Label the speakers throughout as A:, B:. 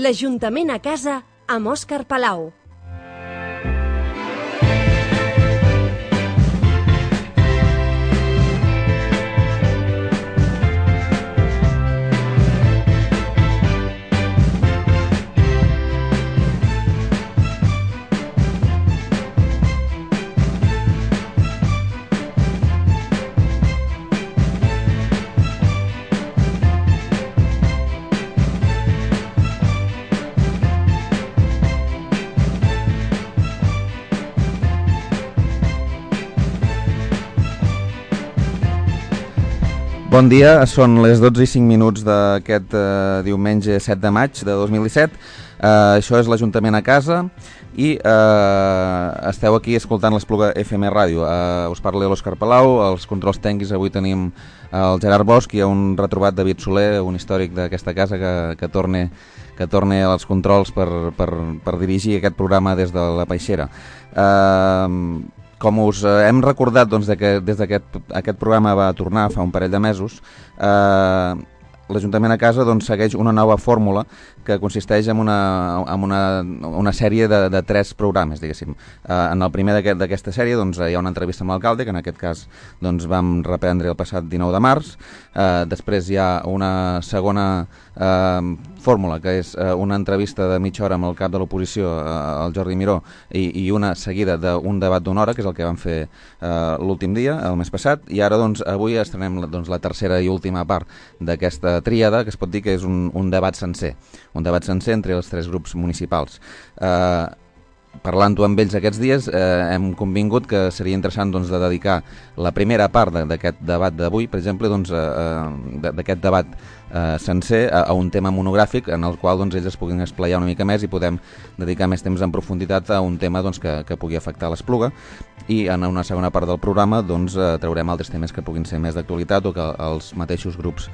A: L'Ajuntament a casa amb Òscar Palau.
B: Bon dia, són les 12 i 5 minuts d'aquest diumenge 7 de maig de 2017. Això és l'Ajuntament a casa i esteu aquí escoltant l'Espluga FM Ràdio. Us parla l'Òscar Palau, els controls tècnics avui tenim el Gerard Bosch i un retrobat David Soler, un històric d'aquesta casa que torne als controls per dirigir aquest programa des de la Peixera. Com us hem recordat que des d'aquest programa va tornar fa un parell de mesos, l'Ajuntament a casa segueix una nova fórmula que consisteix en una sèrie de 3 programes, diguéssim. En el primer d'aquesta sèrie hi ha una entrevista amb l'alcalde, que en aquest cas vam reprendre el passat 19 de març. Després hi ha una segona fórmula, que és una entrevista de mitja hora amb el cap de l'oposició, el Jordi Miró, i una seguida d'un debat d'una hora, que és el que vam fer l'últim dia, el mes passat, i ara avui estrenem la tercera i última part d'aquesta tríada, que es pot dir que és un debat sencer entre els 3 grups municipals. Parlant-ho amb ells aquests dies, hem convingut que seria interessant de dedicar la primera part d'aquest debat d'avui, per exemple, d'aquest debat sencer a un tema monogràfic en el qual ells es puguin esplaiar una mica més i podem dedicar més temps en profunditat a un tema que pugui afectar l'Espluga, i en una segona part del programa traurem altres temes que puguin ser més d'actualitat o que els mateixos grups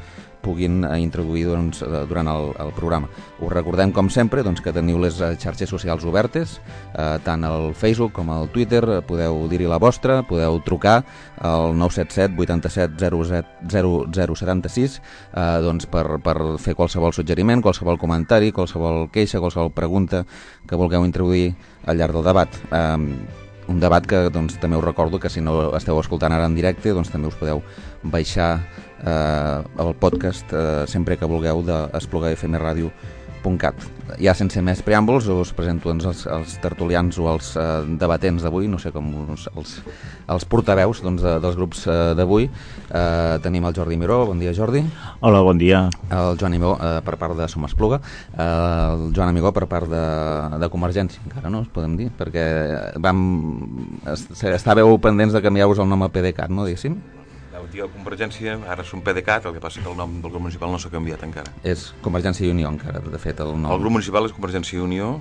B: puguin introduir durant el programa. Us recordem, com sempre, que teniu les xarxes socials obertes, tant al Facebook com al Twitter. Podeu dir-hi la vostra, podeu trucar al 977 87 0076 per fer qualsevol suggeriment, qualsevol comentari, qualsevol queixa, qualsevol pregunta que vulgueu introduir al llarg del debat. Un debat que també us recordo que si no esteu escoltant ara en directe també us podeu baixar el podcast sempre que vulgueu d'esplugafmradio.cat. Ja sense més preàmbuls us presento els tertulians o els debatents d'avui, no sé com els portaveus dels grups d'avui. Tenim el Jordi Miró. Bon dia, Jordi.
C: Hola, bon dia.
B: El Joan Amigó per part de Som Espluga, el Joan Amigó per part de Convergència, encara no, podem dir, perquè estàveu pendents de canviar-vos el nom a PDeCAT, no, diguéssim?
D: Antiga Convergència, ara som PDeCAT, el que passa que el nom del grup municipal no s'ha canviat encara.
B: És Convergència i Unió encara, de fet, el nom.
D: El grup municipal és Convergència i Unió.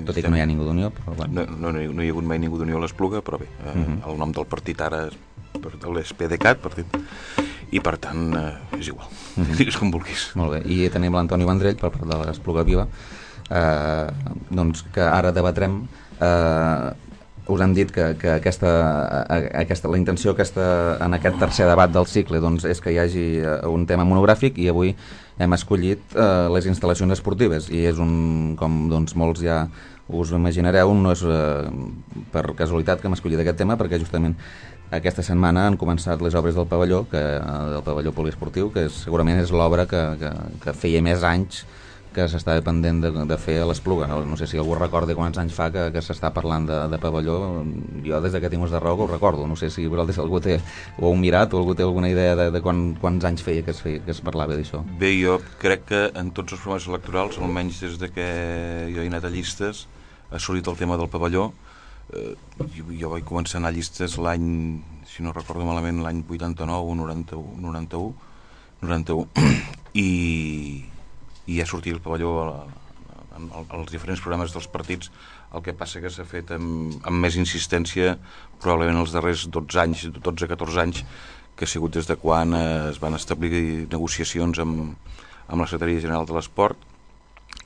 B: Tot i que no hi ha ningú d'Unió, però bueno.
D: No hi ha hagut mai ningú d'Unió a l'Espluga, però bé, el nom del partit ara és PDeCAT, i per tant és igual, digues com vulguis.
B: Molt bé, i tenim l'Antoni Vendrell per part de l'Espluga Viva, que ara debatrem. Us hem dit que la intenció en aquest tercer debat del cicle és que hi hagi un tema monogràfic, i avui hem escollit les instal·lacions esportives, i és com molts ja us ho imaginareu, no és per casualitat que hem escollit aquest tema, perquè justament aquesta setmana han començat les obres del pavelló poliesportiu, que segurament és l'obra que feia més anys que s'estava pendent de fer a l'Espluga. No sé si algú recorda quants anys fa que s'està parlant de pavelló. Jo des que tinc ús de raó que ho recordo. No sé si algú ho heu mirat o algú té alguna idea de quants anys feia que es parlava d'això.
D: Bé, jo crec que en tots els programes electorals, almenys des que jo he anat a llistes, ha sortit el tema del pavelló. Jo vaig començar a anar a llistes l'any, si no recordo malament, l'any 89 o 91, i ja sortia el pavelló als diferents programes dels partits. El que passa que s'ha fet amb més insistència probablement els darrers 12-14 anys, que ha sigut des de quan es van establir negociacions amb la Secretaria General de l'Esport,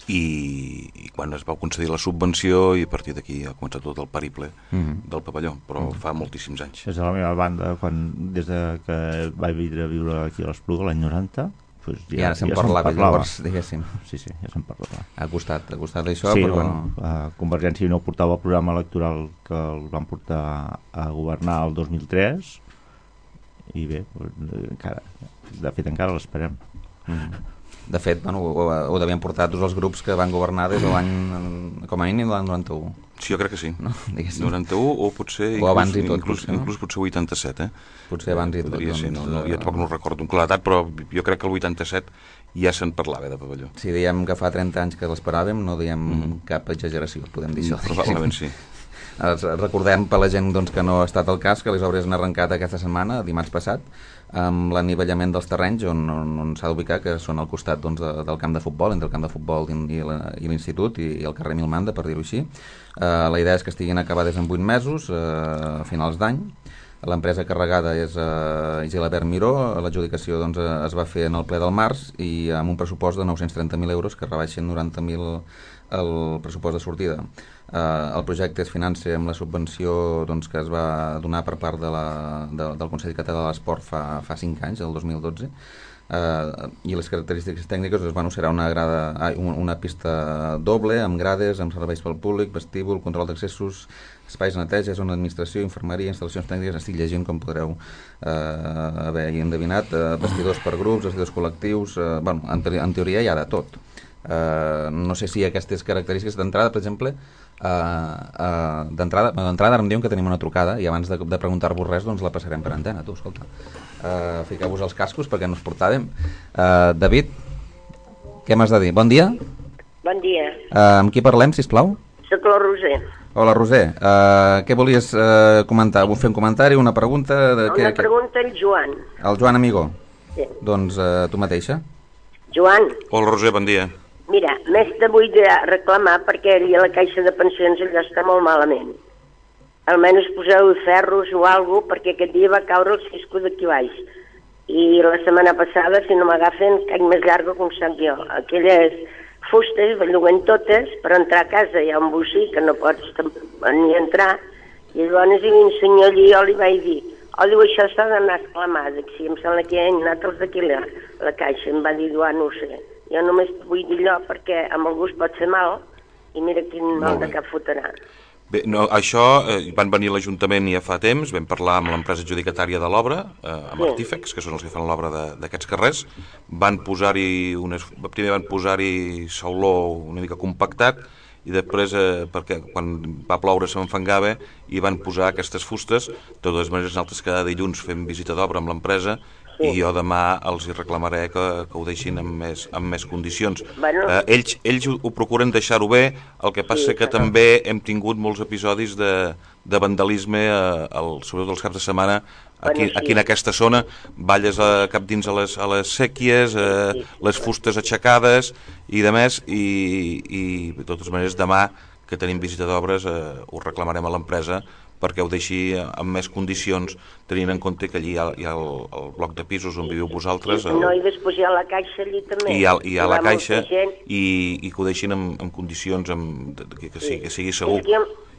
D: i quan es va concedir la subvenció, i a partir d'aquí ha començat tot el periple del pavelló, però fa moltíssims anys.
C: Des de la meva banda, des que vaig vindre a viure aquí a l'Espluga l'any 90,
B: I ara se'n parlava, llavors, diguéssim.
C: Sí, ja se'n parlava.
B: Ha costat això,
C: sí,
B: però...
C: Convergència no portava el programa electoral que el van portar a governar el 2003 i bé, de fet encara l'esperem.
B: De fet, ho devien portar tots els grups que van governar des de l'any, com a mínim, l'any 91.
D: Sí, jo crec que sí.
B: No?
D: 91 o potser
B: abans i tot,
D: inclús potser 87,
B: Potser abans i tot.
D: Podria ser, jo tampoc no recordo amb claredat, però jo crec que el 87 ja se'n parlava de pavelló.
B: Si diem que fa 30 anys que l'esperàvem, no diem cap exageració, podem dir això.
D: Probablement sí.
B: Recordem per la gent que no ha estat el cas que les obres han arrencat aquesta setmana, dimarts passat, amb l'anivellament dels terrenys on s'ha d'ubicar, que són al costat del camp de futbol, entre el camp de futbol i l'institut i el carrer Milmanda, per dir-ho així. La idea és que estiguin acabades en 8 mesos, a finals d'any. L'empresa carregada és Gilabert Miró, l'adjudicació es va fer en el ple del març i amb un pressupost de 930.000 euros que rebaixen 90.000 el pressupost de sortida. El projecte es finança amb la subvenció que es va donar per part del Consell Català de l'Esport fa 5 anys, el 2012, i les característiques tècniques serà una pista doble, amb grades, amb serveis pel públic, vestíbul, control d'accessos, espais de neteja, zona d'administració, infermeria, instal·lacions tècniques, estic llegint com podreu haver endevinat, vestidors per grups, vestidors col·lectius, en teoria hi ha de tot. No sé si aquestes característiques d'entrada, per exemple, d'entrada ara em diuen que tenim una trucada i abans de preguntar-vos res la passarem per antena. Tu, escolta, fiqueu-vos els cascos perquè no us portàvem. David, què m'has de dir? Bon dia.
E: Bon dia.
B: Amb qui parlem, sisplau?
E: Soc la Roser.
B: Hola, Roser. Què volies comentar? Vull fer un comentari, una pregunta?
E: Una pregunta al Joan.
B: El Joan Amigó?
E: Sí.
B: Doncs tu mateixa.
E: Joan.
D: Hola, Roser, bon dia.
E: Mira, més te vull reclamar perquè allà a la caixa de pensions allò està molt malament. Almenys poseu ferros o alguna cosa perquè aquest dia va caure el cisco d'aquí baix. I la setmana passada, si no m'agafen, caic més llarga com sac jo. Aquelles fustes belluguen totes, per entrar a casa hi ha un bocí que no pots ni entrar. I llavors un senyor allí jo li vaig dir, diu, això s'ha d'anar exclamat. Sí, em sembla que hi ha anat els d'aquí a la caixa. Em va dir, no ho sé. Jo només vull dir allò perquè amb algú es pot fer mal i mira quin mal de cap fotrà.
D: Bé, això van venir a l'Ajuntament ja fa temps, vam parlar amb l'empresa adjudicatària de l'obra, amb Artífex, que són els que fan l'obra d'aquests carrers, primer van posar-hi sauló una mica compactat i després, perquè quan va ploure s'enfangava i van posar aquestes fustes. De totes maneres, nosaltres cada dilluns fem visita d'obra amb l'empresa i jo demà els hi reclamaré que ho deixin amb més condicions. Ells ho procuren deixar-ho bé, el que passa que també hem tingut molts episodis de vandalisme, sobretot els caps de setmana, aquí en aquesta zona, balles cap dins a les sèquies, les fustes aixecades i de més, i de totes maneres demà que tenim visita d'obres ho reclamarem a l'empresa perquè ho deixi amb més condicions, tenint en compte que allí hi ha el bloc de pisos on viviu vosaltres.
E: I després hi ha la caixa allí també.
D: Hi ha la caixa i que ho deixin en condicions que sigui segur.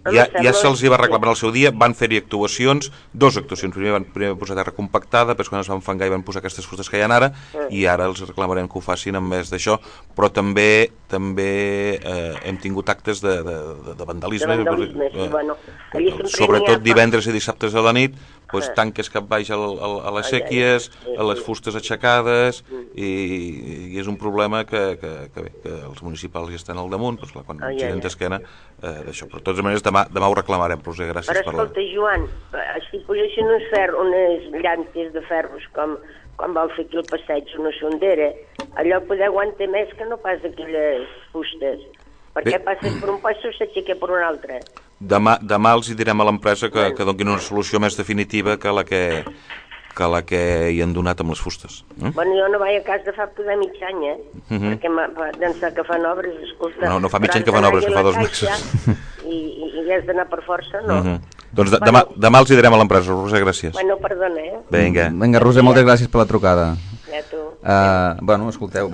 D: Ja se'ls va reclamar al seu dia, van fer-hi actuacions, 2 actuacions. Primer van posar terra compactada, després quan es van fangar i van posar aquestes fustes que hi ha ara, i ara els reclamarem que ho facin amb més d'això, però també hem tingut actes de vandalisme. Sobretot divendres i dissabtes a la nit, tanques cap baix a les sèquies, a les fustes aixecades, i és un problema que els municipals hi estan al damunt, quan giren d'esquena d'això. Però de totes maneres demà ho reclamarem, Roser, gràcies per la...
E: Però escolta, Joan, si posessin unes llantes de ferros com van fer aquí el passeig, una sondera, allò poder aguantar més que no pas aquelles fustes. Perquè passes per un passo i s'aixeca per un altre.
D: Demà els hi direm a l'empresa que donin una solució més definitiva que la que hi han donat amb les fustes.
E: Bueno, jo no vaig a cas de fa poder mig any, perquè d'ençà que fan obres, escolta...
D: No fa mig any que fan obres, que fa 2 mesos.
E: I has d'anar per força, no?
D: Doncs demà els hi direm a l'empresa, Roser, gràcies.
E: Bueno, perdona,
B: Vinga, Roser, moltes gràcies per la trucada. Bueno, escolteu,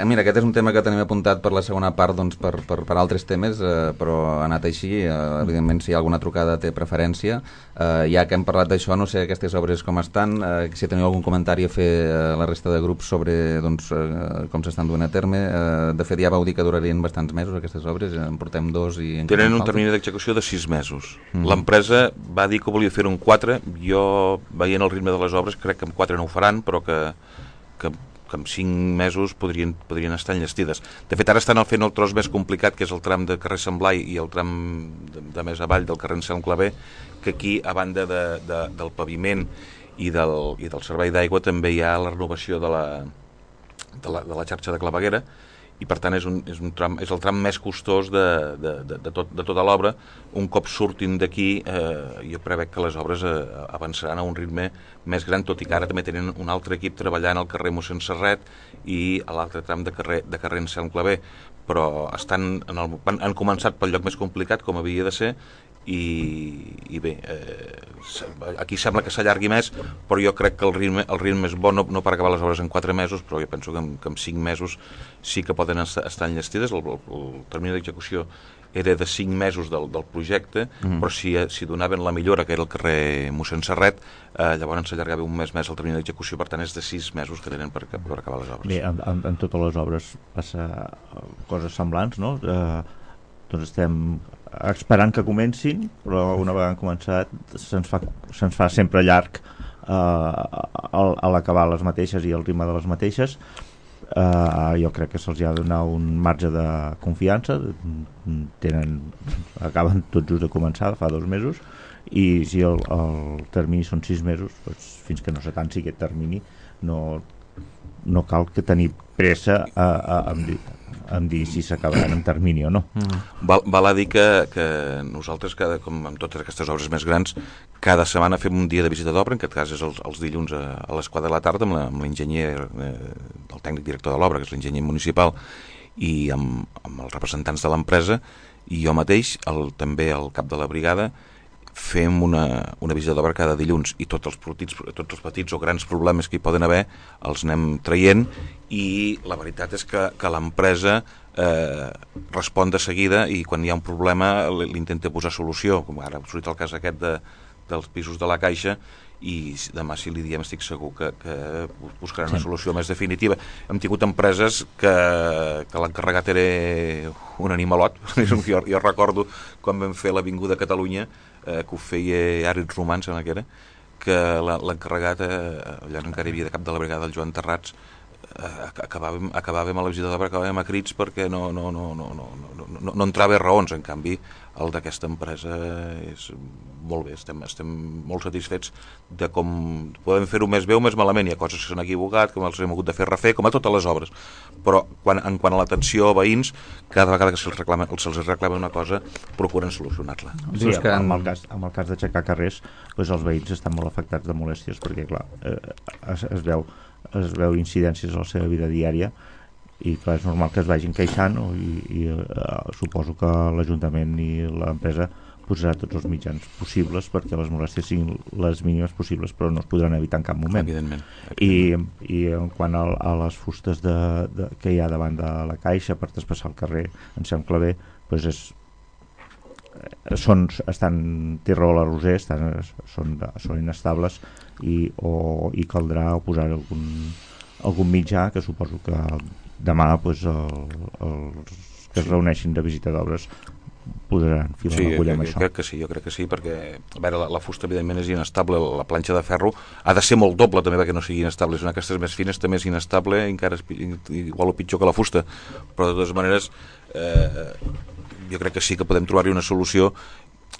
B: mira, aquest és un tema que tenim apuntat per la segona part, doncs, per altres temes, però ha anat així. Evidentment, si hi ha alguna trucada té preferència. Ja que hem parlat d'això, no sé aquestes obres com estan, si teniu algun comentari a fer a la resta de grups sobre doncs, com s'estan duent a terme. De fet, ja vau dir que durarien bastants mesos aquestes obres, en portem 2 i...
D: Tenen un termini d'execució de 6 mesos. L'empresa va dir que volia fer-ho en 4, jo, veient el ritme de les obres, crec que en 4 no ho faran, però que en 5 mesos podrien estar enllestides. De fet, ara estan fent el tros més complicat, que és el tram de carrer Sant Blai i el tram de més avall del carrer Anselm Clavé, que aquí, a banda del paviment i del servei d'aigua, també hi ha la renovació de la xarxa de claveguera, i per tant és el tram més costós de tota l'obra. Un cop surtin d'aquí, jo prevec que les obres avançaran a un ritme més gran, tot i que ara també tenen un altre equip treballant al carrer Mossèn Serret i a l'altre tram de carrer Anselm Clavé, però han començat pel lloc més complicat, com havia de ser, i bé, aquí sembla que s'allargui més, però jo crec que el ritme és bo, no per acabar les obres en 4 mesos, però jo penso que en 5 mesos sí que poden estar enllestides. El termini d'execució era de 5 mesos del projecte, però si donaven la millora, que era el carrer Mossèn Serret, llavors s'allargava un mes més el termini d'execució, per tant és de 6 mesos que tenen per acabar les obres.
C: Bé, en totes les obres passa coses semblants, no? Doncs estem esperant que comencin, però una vegada han començat se'ns fa sempre llarg a l'acabar les mateixes i el ritme de les mateixes. Jo crec que se'ls ha de donar un marge de confiança. Acaben tot just de començar, fa 2 mesos, i si el termini són 6 mesos, doncs, fins que no s'atanci aquest termini no cal que tenir pressa en dir si s'acabaran en termini o no.
D: Val a dir que nosaltres, com amb totes aquestes obres més grans, cada setmana fem un dia de visita d'obra, en aquest cas és els dilluns a les 4 de la tarda, amb l'enginyer, el tècnic director de l'obra, que és l'enginyer municipal, i amb els representants de l'empresa, i jo mateix, també el cap de la brigada, fem una visita d'obra cada dilluns, i tots els petits o grans problemes que hi poden haver els anem traient, i la veritat és que l'empresa respon de seguida, i quan hi ha un problema l'intenta posar solució, com ara ha sortit el cas aquest dels pisos de la Caixa, i demà si li diem estic segur que buscaran una solució més definitiva. Hem tingut empreses que l'encarregat era un animalot. Jo recordo quan vam fer l'Avinguda Catalunya, que ho feia Àrid Romà, sembla que era, que l'encarregat, allà encara hi havia de cap de la brigada el Joan Terrats, acabàvem a la visita d'obra, acabàvem a crits perquè no entrava raons. En canvi, el d'aquesta empresa és molt bé, estem molt satisfets de com podem fer-ho més bé o més malament. Hi ha coses que s'han equivocat, com els hem hagut de fer refer, com a totes les obres, però en quant a l'atenció a veïns, cada vegada que se'ls reclama una cosa procuren solucionar-la.
C: Sí, en el cas d'aixecar carrers, doncs els veïns estan molt afectats de molèsties, perquè clar, es veu incidències a la seva vida diària, i clar, és normal que es vagin queixant, i suposo que l'Ajuntament i l'empresa posarà tots els mitjans possibles perquè les molèsties siguin les mínimes possibles, però no es podran evitar en cap moment.
D: Evidentment.
C: I en quant a les fustes que hi ha davant de la Caixa per traspassar el carrer Anselm Clavé, doncs estan Tirol a Roser, són inestables, i caldrà posar algun mitjà, que suposo que demà els que es reuneixin de visita d'obres posaran fil a l'agulla amb això.
D: Jo crec que sí, perquè a veure, la fusta evidentment és inestable, la planxa de ferro ha de ser molt doble també perquè no sigui inestable, és una d'aquestes més fines també és inestable, encara igual o pitjor que la fusta, però de totes maneres jo crec que sí que podem trobar-hi una solució,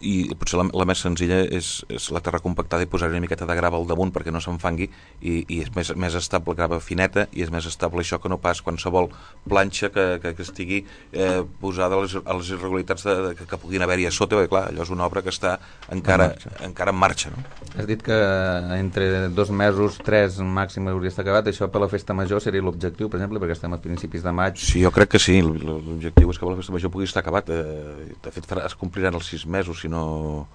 D: i potser la més senzilla és la terra compactada i posar-hi una miqueta de grava al damunt perquè no s'enfangui, i és més estable, grava fineta, i és més estable això que no pas qualsevol planxa que estigui posada a les irregularitats que puguin haver-hi a sota, perquè clar, allò és una obra que està encara en marxa, no?
B: Has dit que entre 2 mesos, 3 màxim hauria estat acabat. Això per la festa major seria l'objectiu, per exemple, perquè estem a principis de maig.
D: Sí, jo crec que sí, l'objectiu és que per la festa major pugui estar acabat. De fet, es compliran els 6 mesos, si no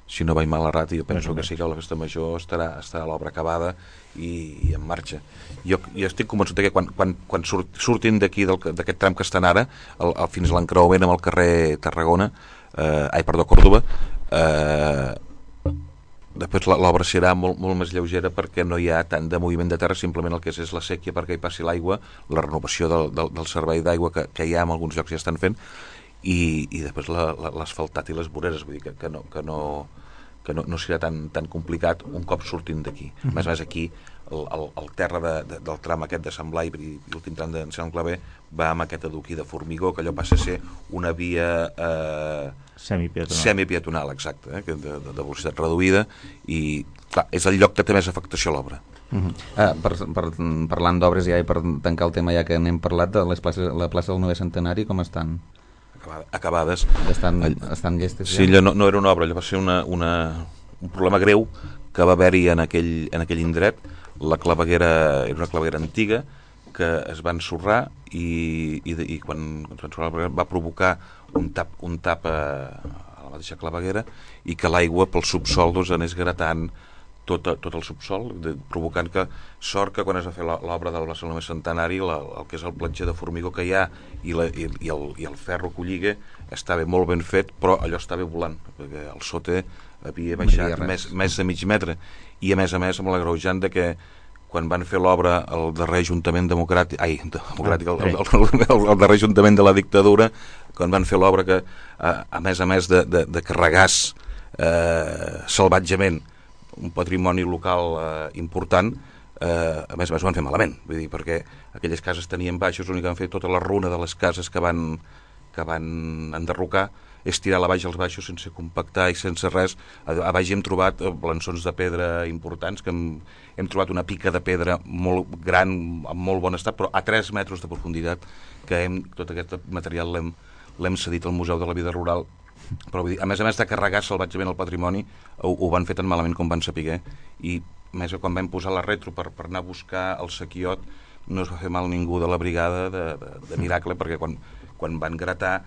D: si no vaig mal errat, jo penso que sí que la festa major estarà l'obra acabada i en marxa. Jo estic convençut que quan surtin d'aquí, d'aquest tram que estan ara, fins a l'encreuament amb el carrer Tarragona, Còrdova, després l'obra serà molt més lleugera perquè no hi ha tant de moviment de terra, simplement el que és la séquia perquè hi passi l'aigua, la renovació del servei d'aigua que hi ha en alguns llocs ja estan fent, i després l'asfaltat i les voreres, vull dir que no serà tan complicat un cop sortim d'aquí. A més aquí el terra del tram aquest de Sant Blai i l'últim tram de Sant Claver va amb aquest adoquí de formigó, que allò passa a ser una via semipeatonal, exacte, de velocitat reduïda, i clar, és el lloc que té més afectació a l'obra.
B: Parlant d'obres ja i per tancar el tema ja que n'hem parlat, la plaça del 9è Centenari com estan?
D: Acabades.
B: Estan llestes?
D: Sí, allò no era una obra, allò va ser un problema greu que va haver-hi en aquell indret. La claveguera era una claveguera antiga que es va ensorrar i quan es va ensorrar va provocar un tap a la mateixa claveguera i que l'aigua pel subsol anés gratant tot el subsol, provocant que sort que quan es va fer l'obra del Barcelona Centenari el que és el platger de formigó que hi ha i el ferro que ho lliga estava molt ben fet, però allò estava volant perquè el sote havia baixat més de mig metre, i a més amb l'agreujant de que quan van fer l'obra el darrer Ajuntament democràtic, el darrer Ajuntament de la dictadura, quan van fer l'obra que a més de carregars salvatgement un patrimoni local important, a més ho van fer malament, vull dir, perquè aquelles cases tenien baixos, l'únic que van fer tota la runa de les cases que van enderrocar és tirar a baix els baixos sense compactar i sense res. A baix hem trobat blançons de pedra importants, que hem trobat una pica de pedra molt gran, en molt bon estat, però a 3 metres de profunditat, que tot aquest material l'hem cedit al Museu de la Vida Rural. Però vull dir, a més de carregar salvatgement el patrimoni, ho van fer tan malament com van saber, i més quan vam posar la retro per anar a buscar el sequiot no es va fer mal ningú de la brigada de Miracle, perquè quan van gratar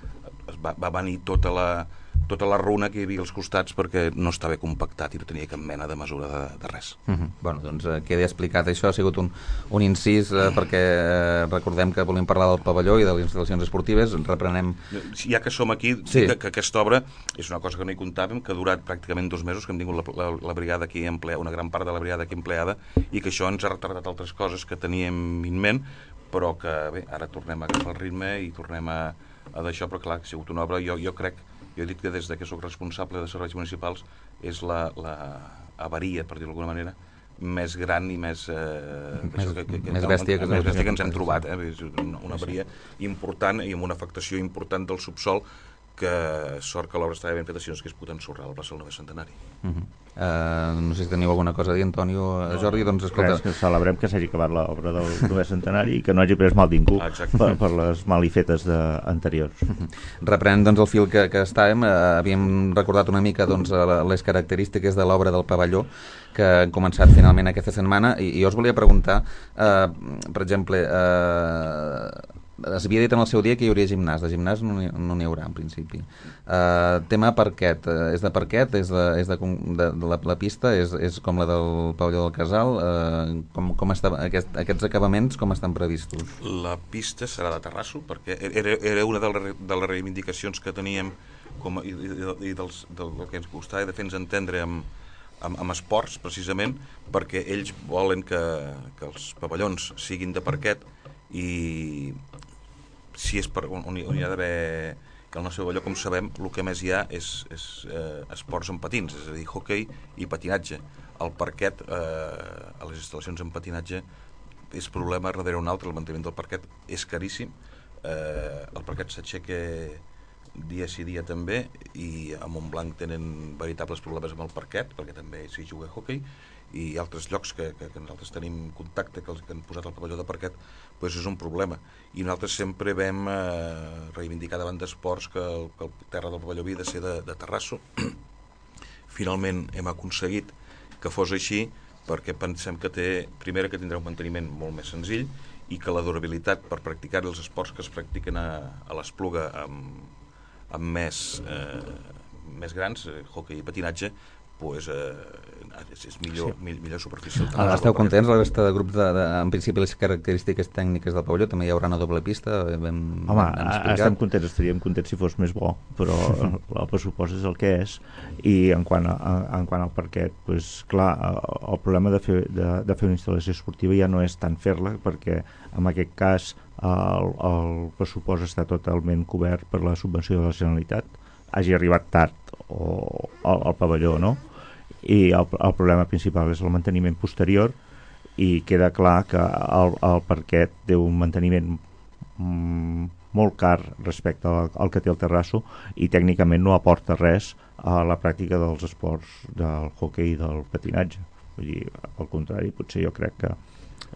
D: va venir tota la runa que hi havia als costats perquè no estava compactat i no tenia cap mena de mesura de res.
B: Bueno, doncs queda explicat això, ha sigut un incís perquè recordem que volem parlar del pavelló i de les instal·lacions esportives, reprenem...
D: Ja que som aquí, sí. que aquesta obra és una cosa que no hi comptàvem, que ha durat pràcticament 2 mesos, que hem tingut la brigada aquí empleada, una gran part de la brigada aquí empleada, i que això ens ha retardat altres coses que teníem en ment, però que bé, ara tornem a agafar el ritme i tornem a d'això, però clar, ha sigut una obra, jo crec, jo he dit que des que soc responsable de serveis municipals és la avaria, per dir-ho d'alguna manera, més gran i més
B: bèstia
D: que ens hem trobat, és una avaria important i amb una afectació important del subsol, que sort que l'obra estava ben feta, si no s'hagués pogut ensorrar el Barcelona Centenari.
B: No sé si teniu alguna cosa a dir, Antonio, Jordi, doncs escolta...
C: Que celebrem que s'hagi acabat l'obra del 9è Centenari i que no hagi pres mal ningú per les malifetes anteriors.
B: Reprenent doncs el fil que estàvem, havíem recordat una mica doncs, les característiques de l'obra del pavelló que han començat finalment aquesta setmana, i jo us volia preguntar, per exemple, es havia dit en el seu dia que hi hauria gimnàs. De gimnàs no n'hi haurà en principi. Tema parquet, és de parquet, és de la pista, és com la del pavelló del Casal, com està, aquests acabaments com estan previstos?
D: La pista serà de terrasso, perquè era una de les reivindicacions que teníem i del que ens costava de fer-nos entendre amb esports, precisament, perquè ells volen que els pavellons siguin de parquet, i si és on hi ha d'haver que al nostre pavelló, com sabem, el que més hi ha és esports amb patins, és a dir, hoquei i patinatge. El parquet a les instal·lacions en patinatge és problema darrere un altre, el manteniment del parquet és caríssim, el parquet s'aixeca dia sí dia també, i a Montblanc tenen veritables problemes amb el parquet, perquè també s'hi juga hoquei, i altres llocs que nosaltres tenim contacte, que han posat el pavelló de parquet, doncs és un problema. I nosaltres sempre vam reivindicar davant d'esports que el terra del pavelló havia de ser de terrasso. Finalment hem aconseguit que fos així, perquè pensem que primera, que tindrà un manteniment molt més senzill, i que la durabilitat per practicar els esports que es practiquen a l'Espluga amb més més grans, hoquei i patinatge, pues, és millor superfície.
B: Esteu contents, la resta de grups, en principi les característiques tècniques del pavelló, també hi haurà una doble pista?
C: Home, estem contents, estaríem contents si fos més bo, però el pressupost és el que és, i en quant al parquet, pues, clar, el problema de fer una instal·lació esportiva ja no és tant fer-la, perquè en aquest cas el pressupost està totalment cobert per la subvenció de la Generalitat, hagi arribat tard al pavelló, no? I el problema principal és el manteniment posterior, i queda clar que el parquet té un manteniment molt car respecte al que té el terrasso, i tècnicament no aporta res a la pràctica dels esports del hoquei i del patinatge. Vull dir, al contrari, potser jo crec que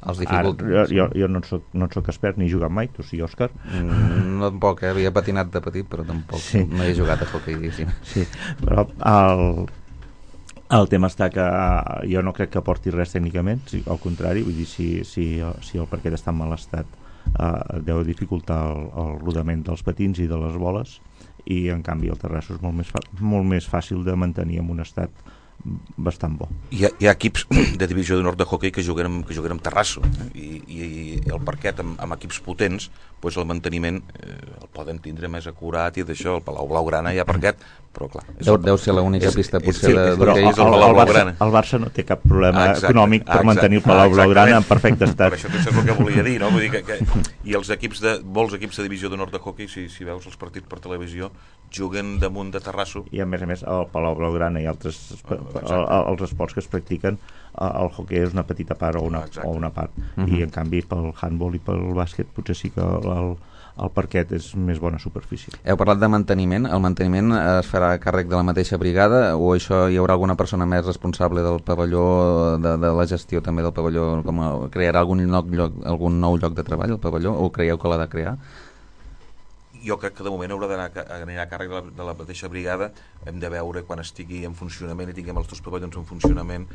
C: jo no en soc expert ni he jugat mai, tu sí, Òscar?
B: No tampoc, havia patinat de petit, però tampoc no he jugat a hoquei.
C: Sí, però el tema està que jo no crec que aporti res tècnicament, al contrari, vull dir, si el parquet està en mal estat, deu dificultar el rodament dels patins i de les boles, i en canvi el terrasso és molt més fàcil de mantenir en un estat bastant bo.
D: Hi ha equips de divisió d'honor de hoquei que juguen amb terrasso, i el parquet amb equips potents, doncs el manteniment el poden tindre més acurat, i d'això, el Palau Blaugrana hi ha parquet, però clar...
B: Deu ser l'única pista potser
D: d'hoquei és el Palau Blaugrana.
C: El Barça no té cap problema econòmic per mantenir el Palau Blaugrana en perfecte estat.
D: Per això és el que volia dir, no? Vull dir i els molts equips de divisió d'honor de hoquei, si veus els partits per televisió, juguen damunt de terrasso.
C: I a més, el Palau Blaugrana i altres els esports que es practiquen, el hoquei és una petita part o una part, i en canvi pel handball i pel bàsquet potser sí que el parquet és més bona superfície.
B: Heu parlat de manteniment. El manteniment es farà a càrrec de la mateixa brigada, o això hi haurà alguna persona més responsable del pavelló, de la gestió també del pavelló, com crearà algun nou lloc de treball el pavelló, o creieu que l'ha de crear?
D: Jo crec que de moment haurà d'anar a càrrec de la mateixa brigada. Hem de veure quan estigui en funcionament i tinguem els dos pavellons en funcionament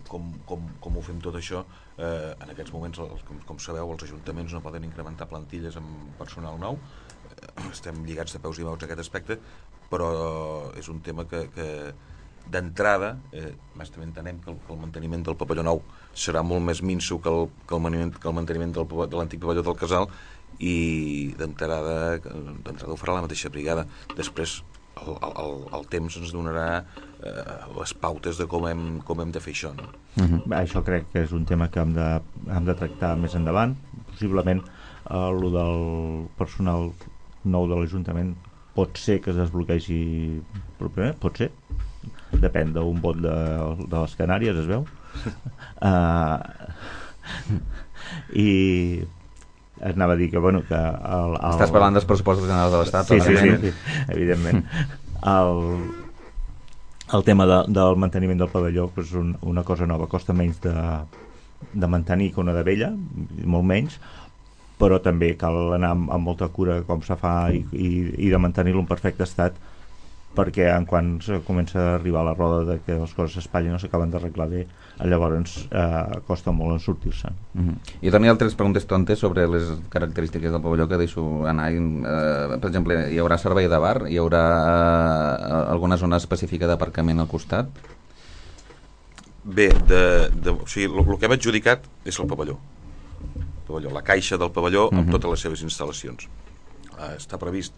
D: com ho fem tot això. En aquests moments, com sabeu, els ajuntaments no poden incrementar plantilles amb personal nou. Estem lligats de peus i maus a aquest aspecte, però és un tema que d'entrada també entenem que el manteniment del pavelló nou serà molt més minso que el manteniment de l'antic pavelló del Casal, i d'entrada ho farà la mateixa brigada. Després el temps ens donarà les pautes de com hem de fer això, no?
C: Això crec que és un tema que hem de tractar més endavant. Possiblement el del personal nou de l'Ajuntament pot ser que es desbloquegi properament, pot ser, depèn d'un vot de les Canàries, es veu. I anava a dir que, bueno, que
B: estàs parlant dels pressupostos generals de l'Estat?
C: Sí, evidentment. El tema del manteniment del pavelló és una cosa nova, costa menys de mantenir que una de vella, molt menys, però també cal anar amb molta cura com se fa i de mantenir-lo en perfecte estat, perquè quan comença a arribar la roda de que les coses s'espatllen no s'acaben d'arreglar bé, llavors costa molt en sortir-se'n.
B: Jo tenia altres preguntes tontes sobre les característiques del pavelló que deixo anar. Per exemple, hi haurà servei de bar? Hi haurà alguna zona específica d'aparcament al costat?
D: Bé, o sigui, el que hem adjudicat és el pavelló, la caixa del pavelló amb totes les seves instal·lacions. Està previst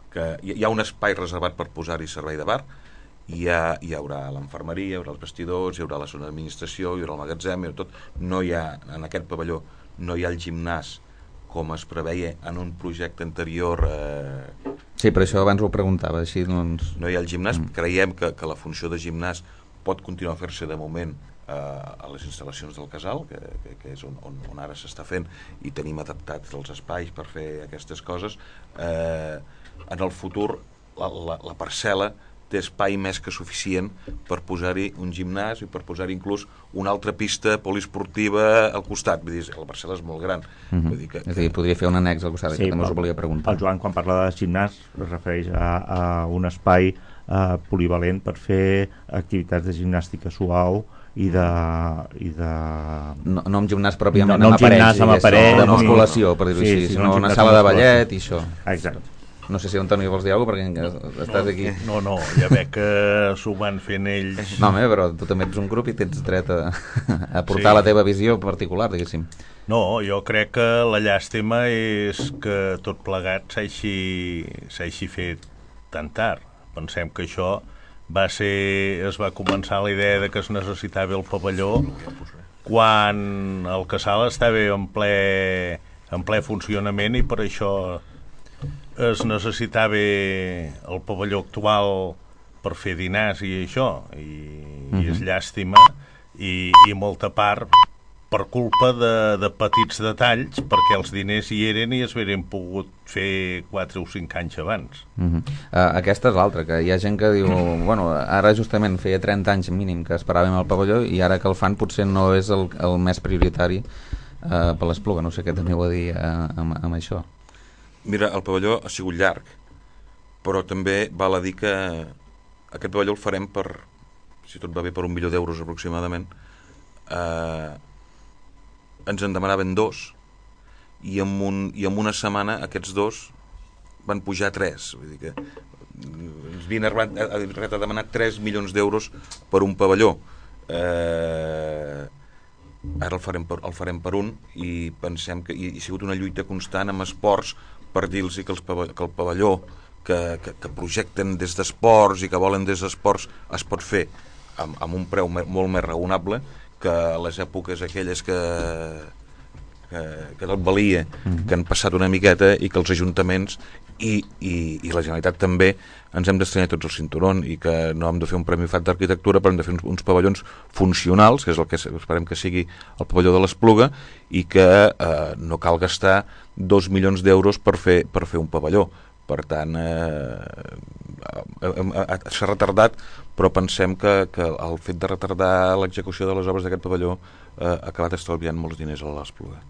D: que hi ha un espai reservat per posar-hi servei de bar, hi haurà l'infermeria, hi haurà els vestidors, hi haurà la zona d'administració, hi haurà el magatzem, hi haurà tot. No hi ha, en aquest pavelló, no hi ha el gimnàs com es preveia en un projecte anterior.
B: Sí, per això abans ho preguntava, així doncs...
D: No hi ha el gimnàs, creiem que la funció de gimnàs pot continuar a fer-se de moment a les instal·lacions del Casal, que és on ara s'està fent, i tenim adaptats els espais per fer aquestes coses. En el futur la parcel·la té espai més que suficient per posar-hi un gimnàs i per posar-hi inclús una altra pista poliesportiva al costat. Vull dir, la parcel·la és molt gran. Vull dir que...
B: És a dir, podria fer un annex al costat, que també us ho volia preguntar.
C: El Joan, quan parla de gimnàs, es refereix a un espai polivalent per fer activitats de gimnàstica suau i de...
B: No amb gimnàs pròpiament, amb aparells,
C: de
B: musculació, per dir-ho així, sinó una sala de ballet i això.
C: Exacte.
B: No sé si Antoni vols dir alguna cosa, perquè estàs aquí.
F: No, ja veig que s'ho van fent ells.
B: No, home, però tu també ets un grup i tens dret a portar la teva visió particular, diguéssim.
F: No, jo crec que la llàstima és que tot plegat s'hagi fet tan tard. Pensem que això es va començar la idea de que es necessitava el pavelló quan el casal estava en ple funcionament i per això es necessitava el pavelló actual per fer dinars i això, i és llàstima i molta part per culpa de petits detalls, perquè els diners hi eren i es haurien pogut fer 4 o 5 anys abans.
B: Aquesta és l'altra, que hi ha gent que diu bueno, ara justament feia 30 anys mínim que esperàvem el pavelló i ara que el fan potser no és el més prioritari per l'Espluga. No sé què teniu a dir amb això.
D: Mira, el pavelló ha sigut llarg, però també val a dir que aquest pavelló el farem per, si tot va bé, per €1 milió aproximadament. Ens en demanaven 2 i en una setmana aquests 2 van pujar a 3. Vull dir que ens havien arribat a demanar 3 milions d'euros per un pavelló. Ara el farem per un i pensem que hi ha sigut una lluita constant amb esports per dir-los que el pavelló que projecten des d'esports i que volen des d'esports es pot fer amb un preu molt més raonable que a les èpoques aquelles que tot valia, que han passat una miqueta i que els ajuntaments i la Generalitat també ens hem d'estrenyar tots el cinturón i que no hem de fer un premi FAT d'arquitectura, però hem de fer uns pavellons funcionals, que és el que esperem que sigui el pavelló de l'Espluga, i que no cal gastar 2 milions d'euros per fer un pavelló. Per tant, s'ha retardat, però pensem que el fet de retardar l'execució de les obres d'aquest pavelló ha acabat estalviant molts diners a l'Espluga.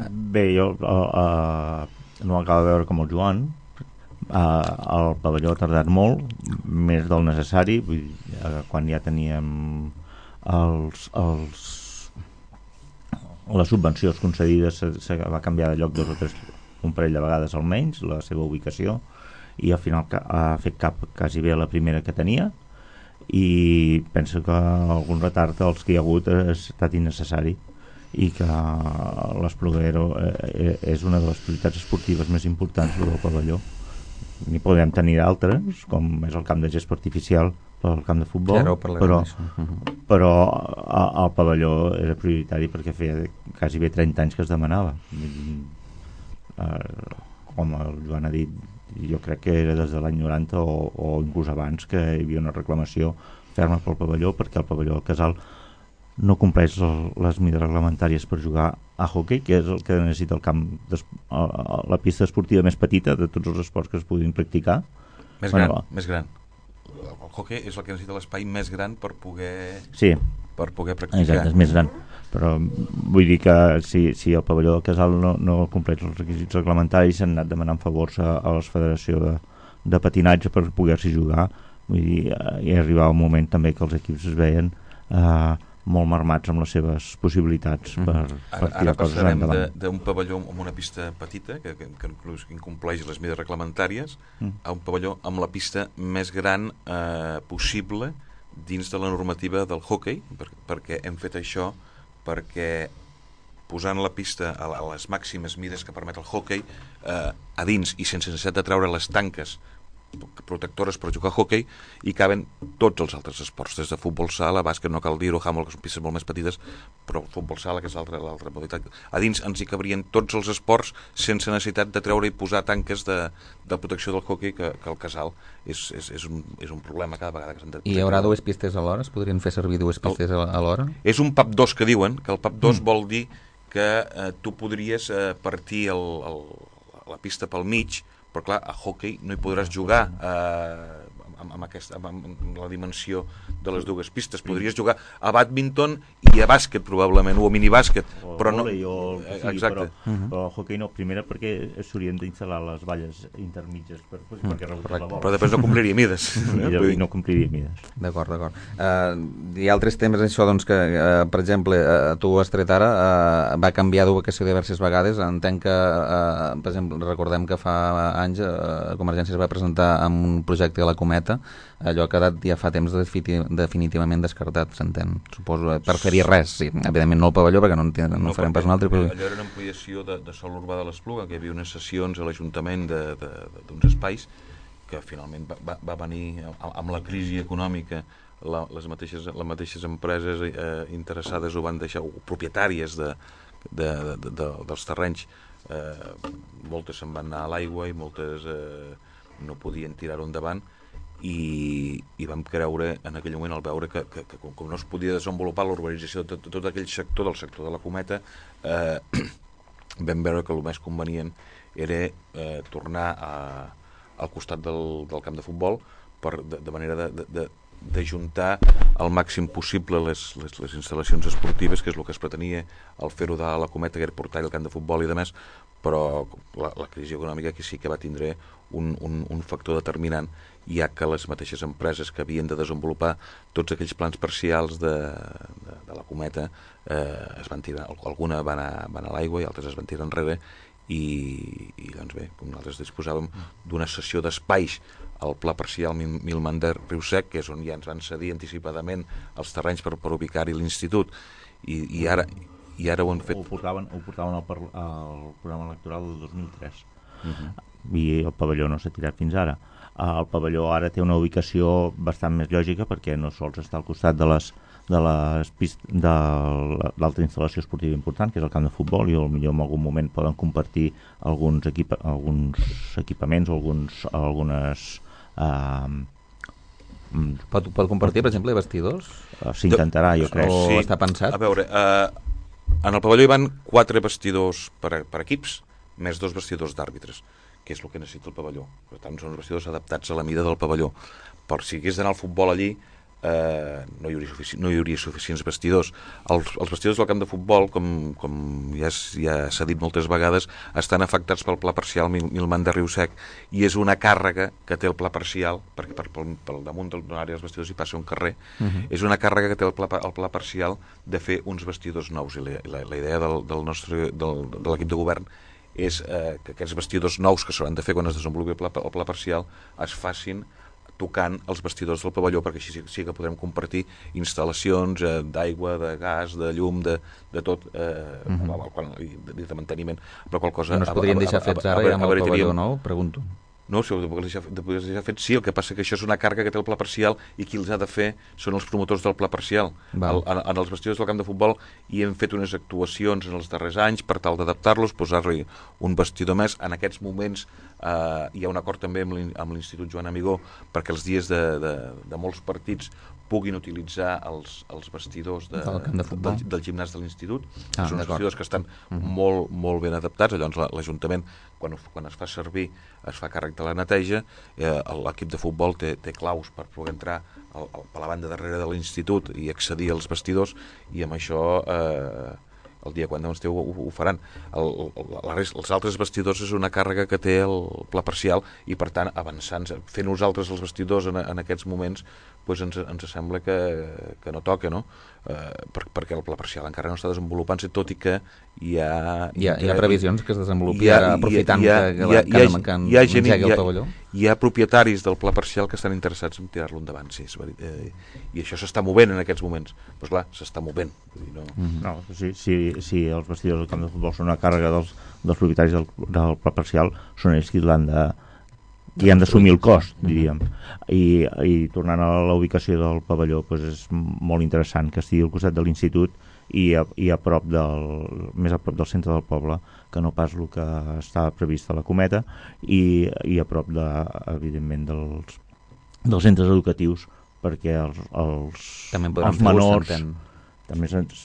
C: Bé, jo no acabo de veure com el Joan. El pavelló ha tardat molt, més del necessari. Vull dir, quan ja teníem les subvencions concedides se va canviar de lloc 2 o 3 un parell de vegades almenys la seva ubicació i al final ha fet quasi bé la primera que tenia i penso que algun retard els que hi ha hagut ha estat innecessari i que l'Espluga és una de les prioritats esportives més importants del pavelló. N'hi podem tenir d'altres, com és el camp de gespa artificial pel camp de futbol, però el pavelló era prioritari perquè feia quasi bé 30 anys que es demanava. Com el Joan ha dit, jo crec que era des de l'any 90 o inclús abans que hi havia una reclamació ferma pel pavelló, perquè el pavelló del Casal no compleix les mides reglamentàries per jugar a hoquei, que és el que necessita el camp la pista esportiva més petita de tots els esports que es puguin practicar.
D: Més gran. El hoquei és el que necessita l'espai més gran per poder practicar.
C: Exacte, és més gran. Però vull dir que si el pavelló del Casal no compleix els requisits reglamentaris, s'han anat demanant favors a la Federació de Patinatge per poder-s'hi jugar. Vull dir, hi arribava un moment també que els equips es veien molt marmats amb les seves possibilitats per tirar coses endavant.
D: Ara passarem d'un pavelló amb una pista petita que incompleix les mides reglamentàries a un pavelló amb la pista més gran possible dins de la normativa del hoquei, perquè hem fet això perquè posant la pista a les màximes mides que permet el hoquei a dins i sense necessitat de treure les tanques protectores per jugar a hoquei hi caben tots els altres esports, des de futbol sala, bàsquet, no cal dir-ho, handball, que són pistes molt més petites, però futbol sala, que és l'altra modalitat. A dins ens hi cabrien tots els esports sense necessitat de treure i posar tanques de protecció del hoquei, que el Casal és un problema cada vegada que s'han de...
B: I hi haurà 2 pistes alhora? Es podrien fer servir 2 pistes alhora?
D: És un PAP 2 que diuen, que el PAP 2 vol dir que tu podries partir la pista pel mig, però clar, a hoquei no hi podràs jugar amb la dimensió de les 2 pistes. Podries jugar a bàdminton i a bàsquet probablement, o a minibàsquet, però no...
C: O el que sigui,
D: exacte.
C: però el hoquei no, primera perquè s'haurien d'instal·lar les valles intermitges perquè rebutges la bola.
D: Però després no compliria mides.
C: I no compliria mides.
B: D'acord. Hi ha altres temes, això, doncs, que, per exemple, tu has tret ara, va canviar d'ubicació diverses vegades. Entenc que, per exemple, recordem que fa anys Convergència es va presentar amb un projecte a la Cometa, allò ha quedat ja fa temps definitivament descartat, s'entén, suposo, per fer-hi res, sí. Evidentment no el pavelló, perquè no farem pas un altre. Però...
D: Allò era una ampliació de sòl urbà de l'Espluga, que hi havia unes sessions a l'Ajuntament d'uns espais que finalment va venir amb la crisi econòmica. Les mateixes empreses interessades ho van deixar, o propietàries dels terrenys, moltes se'n van anar a l'aigua i moltes no podien tirar-ho endavant, i vam creure en aquell moment, al veure que com no es podia desenvolupar l'urbanització de tot aquell sector, del sector de la Cometa, vam veure que el més convenient era tornar al costat del camp de futbol, de manera d'ajuntar al màxim possible les instal·lacions esportives, que és el que es pretenia al fer-ho de la Cometa, que era portar el camp de futbol i demés, però la crisi econòmica que sí que va tindre un factor determinant, ja que les mateixes empreses que havien de desenvolupar tots aquells plans parcials de la Cometa es van tirar, alguna van a l'aigua i altres es van tirar enrere, i doncs bé, nosaltres disposàvem d'una cessió d'espais al pla parcial Milmander Riu Sec, que és on ja ens van cedir anticipadament els terrenys per ubicar-hi l'institut, i ara ho han fet.
C: Ho portaven al programa electoral del 2003. I el pavelló no s'ha tirat fins ara. El pavelló ara té una ubicació bastant més lògica, perquè no sols està al costat de l'altra instal·lació esportiva important, que és el camp de futbol, i potser en algun moment poden compartir alguns equipaments o algunes...
B: Pot compartir, per exemple, vestidors?
C: S'intentarà, jo crec.
B: O està pensat?
D: A veure, en el pavelló hi van 4 vestidors per equips, més 2 vestidors d'àrbitres, que és el que necessita el pavelló. Per tant, són uns vestidors adaptats a la mida del pavelló. Per si hagués d'anar al futbol allí, no hi hauria suficients vestidors. Els vestidors del camp de futbol, com ja s'ha dit moltes vegades, estan afectats pel pla parcial Milman de Riu Sec, i és una càrrega que té el pla parcial, perquè pel damunt de l'àrea dels vestidors hi passa un carrer, és una càrrega que té el pla parcial de fer uns vestidors nous, i la idea de l'equip de govern és que aquests vestidors nous que s'hauran de fer quan es desenvolupi el pla parcial es facin tocant els vestidors del pavelló, perquè així sí que podrem compartir instal·lacions d'aigua, de gas, de llum, de tot, i de manteniment. Però qual cosa...
B: No es podrien deixar fets ara ja amb el pavelló nou? Pregunto.
D: No, si ho de poder deixar fet, sí, el que passa que això és una càrrega que té el pla parcial, i qui els ha de fer són els promotors del pla parcial. En els vestidors del camp de futbol hi hem fet unes actuacions en els darrers anys per tal d'adaptar-los, posar-li un vestidor més. En aquests moments hi ha un acord també amb l'Institut Joan Amigó perquè els dies de molts partits puguin utilitzar els vestidors del gimnàs de l'Institut. Són uns vestidors que estan molt, molt ben adaptats. Llavors l'Ajuntament, quan es fa servir, es fa càrrec de la neteja. L'equip de futbol té claus per poder entrar a la banda darrere de l'Institut i accedir als vestidors, i amb això el dia quan esteu ho faran. Els altres vestidors és una càrrega que té el pla parcial, i per tant, avançant, fent nosaltres els vestidors en aquests moments, doncs ens sembla que no toca, no? Perquè el pla parcial encara no està desenvolupant-se, tot i que hi ha
B: previsions que es desenvolupi ara, aprofitant que engegui el pavelló.
D: Hi ha propietaris del pla parcial que estan interessats en tirar-lo endavant, sí, i això s'està movent en aquests moments. Doncs clar, s'està movent.
C: No, si els vestidors del camp de futbol són una càrrega dels propietaris del pla parcial, són ells qui han d'assumir el cost, diríem. I tornant a la ubicació del pavelló, doncs és molt interessant que estigui al costat de l'institut i més a prop del centre del poble, que no pas el que estava previst a la Cometa, i a prop, evidentment, dels centres educatius, perquè els menors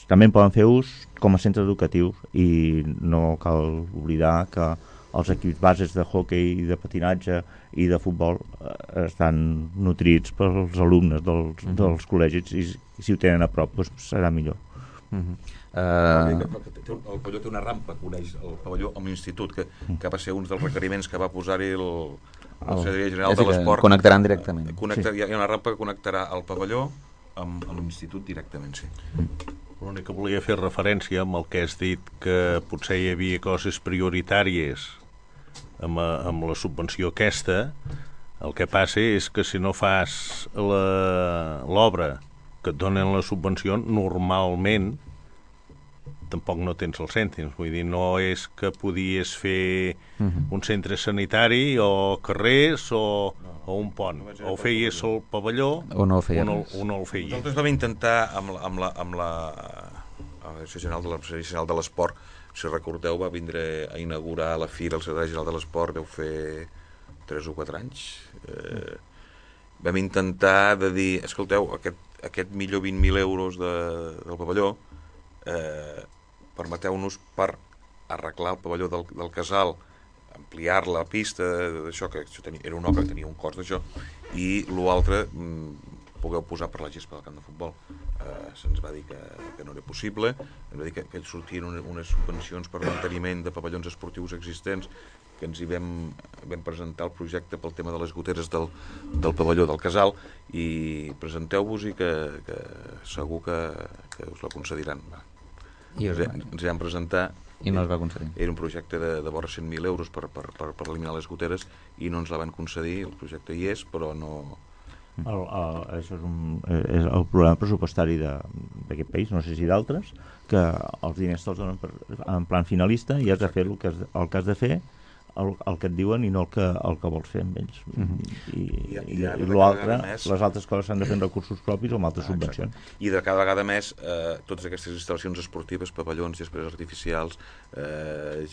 C: també en poden fer ús com a centre educatiu, i no cal oblidar que els equips bases de hoquei, de patinatge i de futbol estan nutrits pels alumnes dels col·legis, i si ho tenen a prop doncs serà millor.
D: El pavelló té una rampa que uneix el pavelló amb l'institut, que va ser un dels requeriments que va posar-hi el Secretari General de l'Esport.
B: Connectaran directament.
D: Hi ha una rampa que connectarà el pavelló amb l'institut directament, sí.
F: L'únic que volia fer referència amb el que has dit, que potser hi havia coses prioritàries amb la subvenció aquesta. El que passa és que si no fas l'obra que et donen la subvenció, normalment tampoc no tens els cèntims. Vull dir, no és que podies fer un centre sanitari o carrers o un pont. O feies el pavelló
B: o no el feies.
F: O no el feies.
D: Nosaltres vam intentar amb la Direcció General de l'Esport, si recordeu, va vindre a inaugurar la fira el Secretari General de l'Esport, deu fer 3 o 4 anys. Vam intentar de dir, escolteu, aquest millor 20.000 euros del pavelló, permeteu-nos per arreglar el pavelló del Casal, ampliar la pista, això que era una obra que tenia un cost d'això, i l'altre pugueu posar per la gespa del camp de futbol. Se'ns va dir que no era possible, ens va dir que ells sortien unes subvencions per manteniment de pavellons esportius existents, que ens hi vam presentar el projecte pel tema de les goteres del pavelló del Casal, i presenteu-vos i que segur que us la concediran. Ens hi vam presentar
B: i no es va concedir.
D: Era un projecte de vora 100.000 euros per eliminar les goteres i no ens la van concedir. El projecte hi és, però no...
C: Això és el problema pressupostari d'aquest país, no sé si d'altres, que els diners te'ls donen en plan finalista i has de fer el que has de fer, el que et diuen i no el que vols fer amb ells. I l'altre, les altres coses s'han de fer amb recursos propis o amb altres subvencions.
D: I de cada vegada més totes aquestes instal·lacions esportives, pavellons, gespes artificials,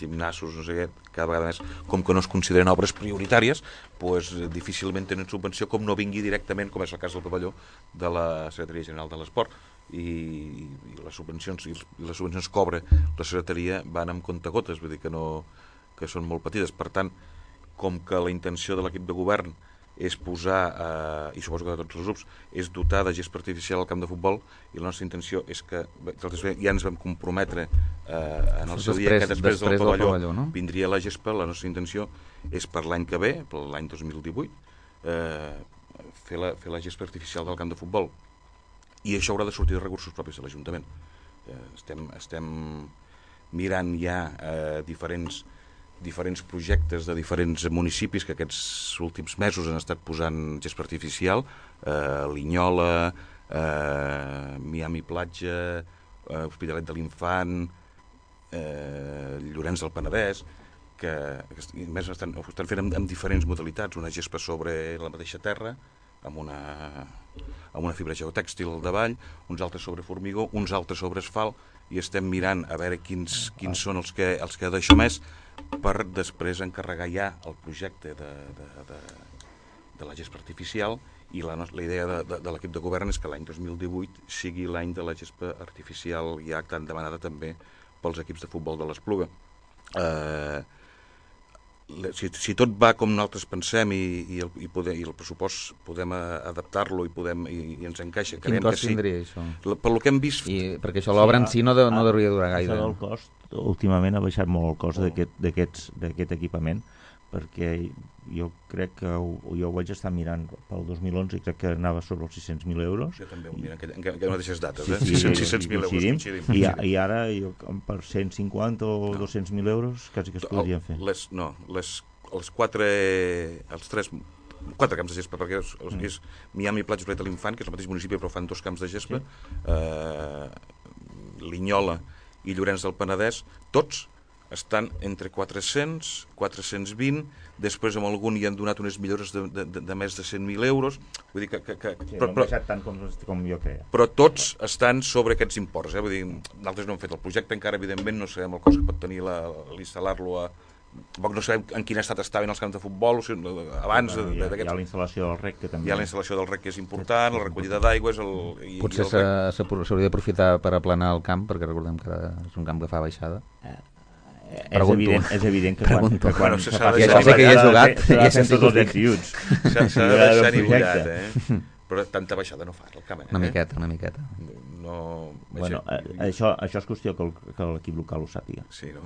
D: gimnasos, no sé què, cada vegada més, com que no es consideren obres prioritàries, doncs difícilment tenen subvenció, com no vingui directament, com és el cas del pavelló de la Secretaria General de l'Esport. I les subvencions que cobra la secretaria van amb comptagotes, vull dir que són molt petites. Per tant, com que la intenció de l'equip de govern és posar, i suposo que de tots els grups, és dotar de gespa artificial al camp de futbol, i la nostra intenció és que ja ens vam comprometre en el seu dia que després del pavelló no? Vindria la gespa. La nostra intenció és per l'any que ve, per l'any 2018, fer la gespa artificial del camp de futbol, i això haurà de sortir de recursos propis de l'Ajuntament. Estem mirant ja diferents projectes de diferents municipis que aquests últims mesos han estat posant gespa artificial, Linyola, Miami Platja, Hospitalet de l'Infant, Llorenç del Penedès, que més estan fent amb diferents modalitats, una gespa sobre la mateixa terra, amb una fibra geotèxtil davall, uns altres sobre formigó, uns altres sobre asfalt, i estem mirant a veure quins són els que deixo més, per després encarregar ja el projecte de la gespa artificial, i la idea de l'equip de govern és que l'any 2018 sigui l'any de la gespa artificial ja tan demanada també pels equips de futbol de l'Espluga. Si tot va com nosaltres pensem i el pressupost podem adaptar-lo i ens encaixa,
B: quin cost tindria això?
D: Per lo que hem vist...
B: Perquè això l'obra en si no hauria de durar gaire.
C: Això del cost, últimament ha baixat molt el cost d'aquest equipament, perquè jo crec que jo ho vaig estar mirant pel 2011 i crec que anava sobre els 600.000 euros.
D: Jo també ho miro en aquelles mateixes dates, 600.000 euros.
C: I ara per 150 o 200.000 euros quasi que es podrien fer.
D: Els quatre camps de gespa, perquè és Miami Platja, Hospitalet de l'Infant, que és el mateix municipi però fan 2 camps de gespa, Linyola i Llorenç del Penedès, tots estan entre 400, 420, després amb algun hi han donat unes millores de més de 100.000 euros, vull dir que
C: no han baixat tant com jo creia.
D: Però tots estan sobre aquests imports, vull dir, nosaltres no hem fet el projecte encara, evidentment no sabem el cost que pot tenir l'instal·lar-lo tampoc no sabem en quin estat estaven els camps de futbol abans
C: hi ha la instal·lació del REC, que també
D: hi ha la instal·lació del REC, que és important, la recollida d'aigües,
B: potser s'hauria d'aprofitar per aplanar el camp, perquè recordem que és un camp que fa baixada.
C: És evident que quan
B: s'ha de deixar que hi ha jugat
C: s'ha de deixar
D: nivellat, però tanta baixada no fa el camp,
B: una miqueta
C: Bueno, això és qüestió que l'equip local ho sàpiga.
D: Sí, no?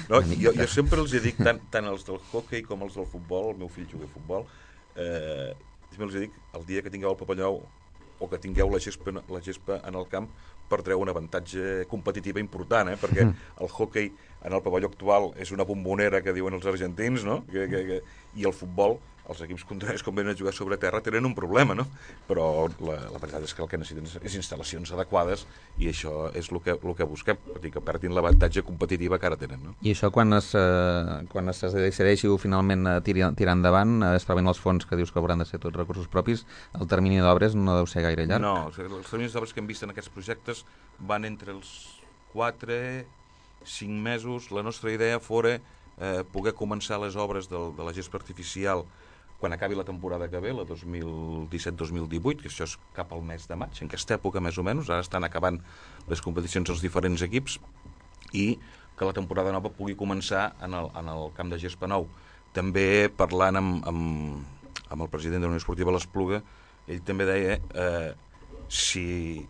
D: No, jo sempre els dic, tant els del hockey com els del futbol, el meu fill juga a futbol, sempre els dic, el dia que tingueu el papallou o que tingueu la gespa en el camp, perdreu un avantatge competitiu important, perquè el hockey en el pavelló actual és una bombonera que diuen els argentins, no? I el futbol, els equips contraris, com venen a jugar sobre terra, tenen un problema, no? Però la veritat és que el que necessiten és instal·lacions adequades i això és el que busquem, que perdin l'avantatge competitiva que ara tenen, no?
B: I això quan es decideixi finalment tirar endavant, es troben els fons que dius que hauran de ser tots recursos propis, el termini d'obres no deu ser gaire llarg?
D: No, els terminis d'obres que hem vist en aquests projectes van entre els 4-5 mesos. La nostra idea fora poder començar les obres de la gespa artificial quan acabi la temporada que ve, la 2017-2018, que això és cap al mes de maig, en aquesta època més o menys, ara estan acabant les competicions als diferents equips, i que la temporada nova pugui començar en el camp de gespa nou. També parlant amb el president de la Unió Esportiva l'Espluga, ell també deia si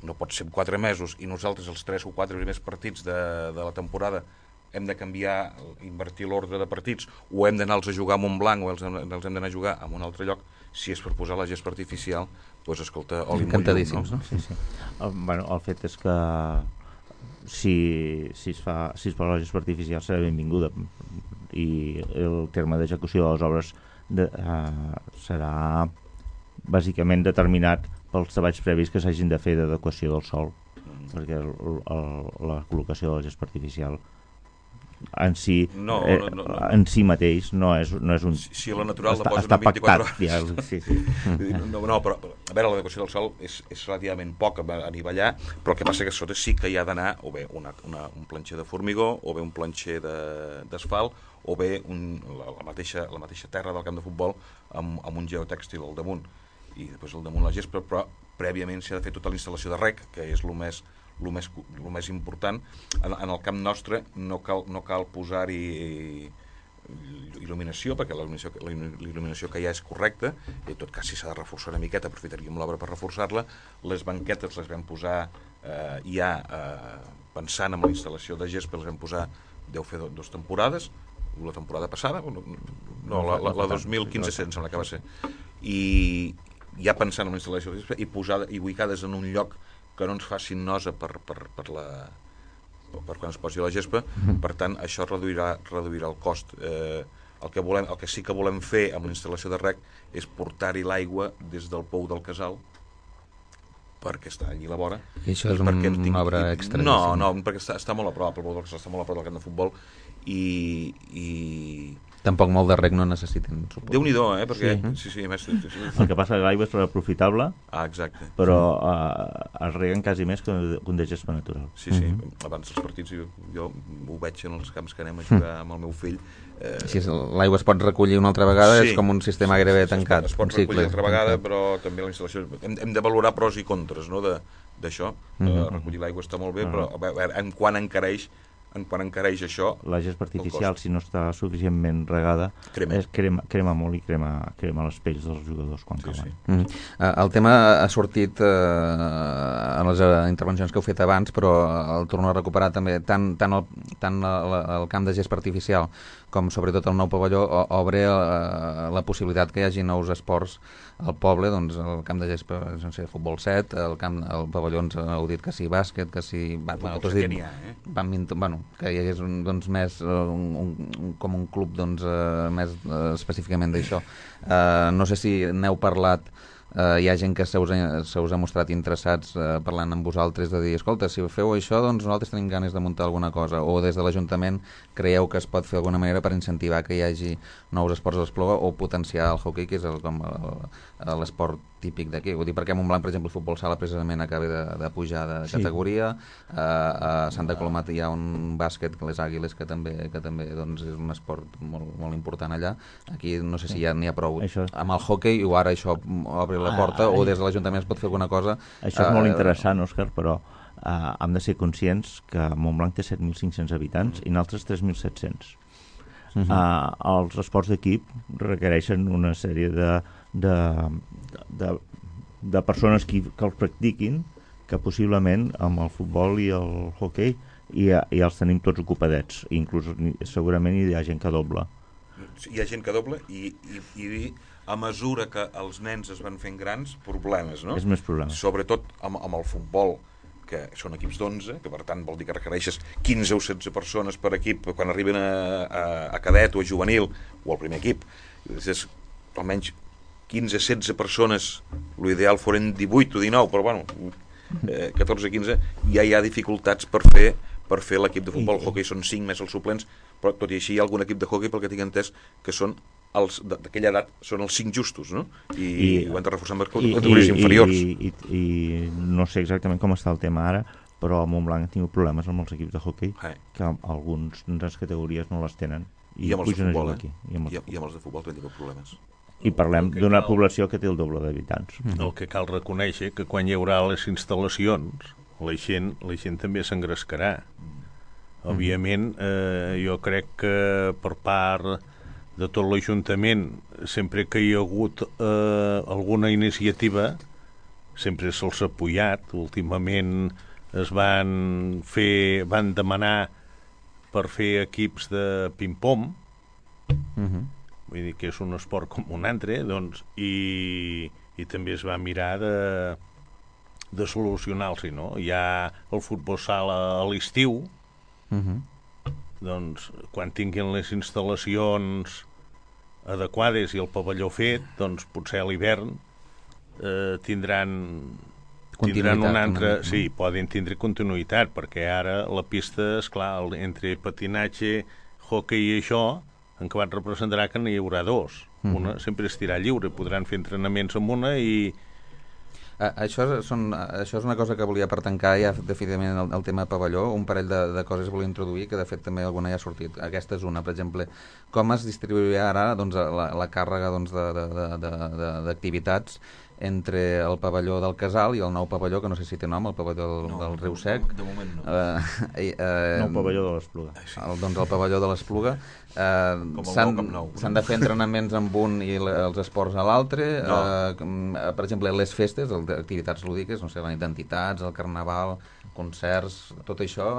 D: no pot ser en 4 mesos i nosaltres els 3 o 4 primers partits de la temporada hem de canviar, invertir l'ordre de partits, o hem d'anar-los a jugar a Montblanc o els hem d'anar a jugar a un altre lloc, si és per posar la gespa artificial, doncs escolta, oli
B: encantadíssims, no?
C: Sí. El fet és que si es posa la gespa artificial serà benvinguda, i el terme d'execució de les obres serà bàsicament determinat pels treballs previs que s'hagin de fer d'adequació del sòl, perquè la col·locació de la gespa artificial en si mateix no és un...
D: Si la natural la posen en 24 hores.
C: Sí.
D: No, però a veure, l'adequació del sòl és relativament poc a nivellar, però el que passa que a sota sí que hi ha d'anar o bé un planxer de formigó, o bé un planxer d'asfalt, o bé la mateixa terra del camp de futbol amb un geotèxtil al damunt, i després al damunt la gespa, però prèviament s'ha de fer tota la instal·lació de rec, que és el més important. En el camp nostre no cal posar-hi il·luminació, perquè la il·luminació que hi ha és correcta, i en tot cas si s'ha de reforçar una miqueta aprofitaríem l'obra per reforçar-la. Les banquetes les vam posar pensant en la instal·lació de gespa, les vam posar, deu fer 2 temporades, la temporada passada, la 2015 em sembla que va ser, i ja pensant en la instal·lació de gespa i ubicades en un lloc que no ens facin nosa per quan es posi la gespa. Per tant, això reduirà el cost. El que sí que volem fer amb la instal·lació de rec és portar-hi l'aigua des del pou del casal, perquè està allí a la vora.
B: I això és una obra extra?
D: No, perquè està molt a prop, el pou del casal està molt a prop del camp de futbol, i
B: tampoc molt de rec no necessiten, suposo.
D: Déu-n'hi-do, perquè... Sí.
C: El que passa que l'aigua és reprofitable,
D: exacte.
C: Però es reguen quasi més que un de gespa natural.
D: Sí. Abans dels partits jo ho veig en els camps que anem a jugar amb el meu fill.
B: Si l'aigua es pot recollir una altra vegada, és com un sistema gairebé tancat.
D: Es pot recollir una altra vegada, però també la instal·lació... Hem de valorar pros i contres, no?, d'això. Recollir l'aigua està molt bé, però a veure, en quan encareix això... La gespa
C: artificial, si no està suficientment regada, crema molt i crema les pells dels jugadors quan cauen.
B: El tema ha sortit en les intervencions que heu fet abans, però el torno a recuperar també. Tant el camp de gespa artificial com sobretot el nou pavelló obre la possibilitat que hi hagi nous esports al poble, doncs el camp de gespa, no sé, futbol 7, el pavelló ens heu dit que sí, bàsquet, que sí...
D: Tu has dit
B: que hi hagués més com un club més específicament d'això. No sé si n'heu parlat, hi ha gent que se us ha mostrat interessats parlant amb vosaltres de dir, escolta, si feu això, doncs nosaltres tenim ganes de muntar alguna cosa, o des de l'Ajuntament creieu que es pot fer d'alguna manera per incentivar que hi hagi nous esports a l'Espluga o potenciar el hockey, que és l'esport típic d'aquí. Ho dic perquè a Montblanc, per exemple, el futbol sala precisament acaba de pujar de categoria, a Santa Coloma hi ha un bàsquet, les Àguiles, que també doncs, és un esport molt, molt important allà. Aquí no sé si ja n'hi ha prou amb el hockey, o ara això obre la porta, o des de l'Ajuntament es pot fer alguna cosa.
C: Això és molt interessant, Òscar, però hem de ser conscients que Montblanc té 7.500 habitants i nosaltres 3.700. Els esports d'equip requereixen una sèrie de persones que els practiquin que possiblement amb el futbol i el hoquei ja els tenim tots ocupadets, inclús segurament hi ha gent que dobla.
D: Hi ha gent que dobla i a mesura que els nens es van fent grans, problemes, no?
C: És més problema.
D: Sobretot amb el futbol, que són equips d'11, que per tant vol dir que requereixes 15 o 16 persones per equip quan arriben a cadet o a juvenil o al primer equip. És almenys 15-16 persones, l'ideal foren 18 o 19, però bueno, 14-15, ja hi ha dificultats per fer l'equip de futbol. El hoquei són 5 més els suplents, però tot i així hi ha algun equip de hoquei, pel que tinc entès, que són d'aquella edat són els 5 justos, no? I ho hem de reforçar amb categories inferiors.
C: I no sé exactament com està el tema ara, però a Montblanc han tingut problemes amb els equips de hoquei, que alguns de les categories no les tenen.
D: I amb els de futbol,
C: aquí.
D: I amb els de futbol també tingut problemes.
C: I parlem d'una població que té el doble d'habitants.
F: El que cal reconèixer que quan hi haurà les instal·lacions la gent també s'engrescarà. Òbviament, jo crec que per part de tot l'Ajuntament, sempre que hi ha hagut alguna iniciativa, sempre se'ls ha apoyat. Últimament van demanar per fer equips de ping-pong, vull dir que és un esport com un altre, doncs, i també es va mirar de solucionar-s'hi, no? Hi ha el futbol sala a l'estiu, doncs quan tinguin les instal·lacions adequades i el pavelló fet, doncs potser a l'hivern tindran un altre... Sí, poden tindre continuïtat, perquè ara la pista, esclar, entre patinatge, hoquei i això, en acabat representarà que n'hi haurà dos. Una sempre estirà lliure, podran fer entrenaments amb una i...
B: Això és una cosa que volia per tancar ja definitivament el tema pavelló. Un parell de coses volia introduir, que de fet també alguna ja ha sortit. Aquesta és una, per exemple, com es distribuirà ara doncs, la càrrega doncs, d'activitats entre el pavelló del Casal i el nou pavelló, que no sé si té nom, el pavelló del Riu Sec.
D: De moment no.
C: Nou pavelló de l'Espluga.
B: Doncs el pavelló de l'Espluga. S'han de fer entrenaments amb un i els esports a l'altre. Per exemple, les festes, activitats lúdiques, no sé, la nit d'entitats, el carnaval, concerts, tot això...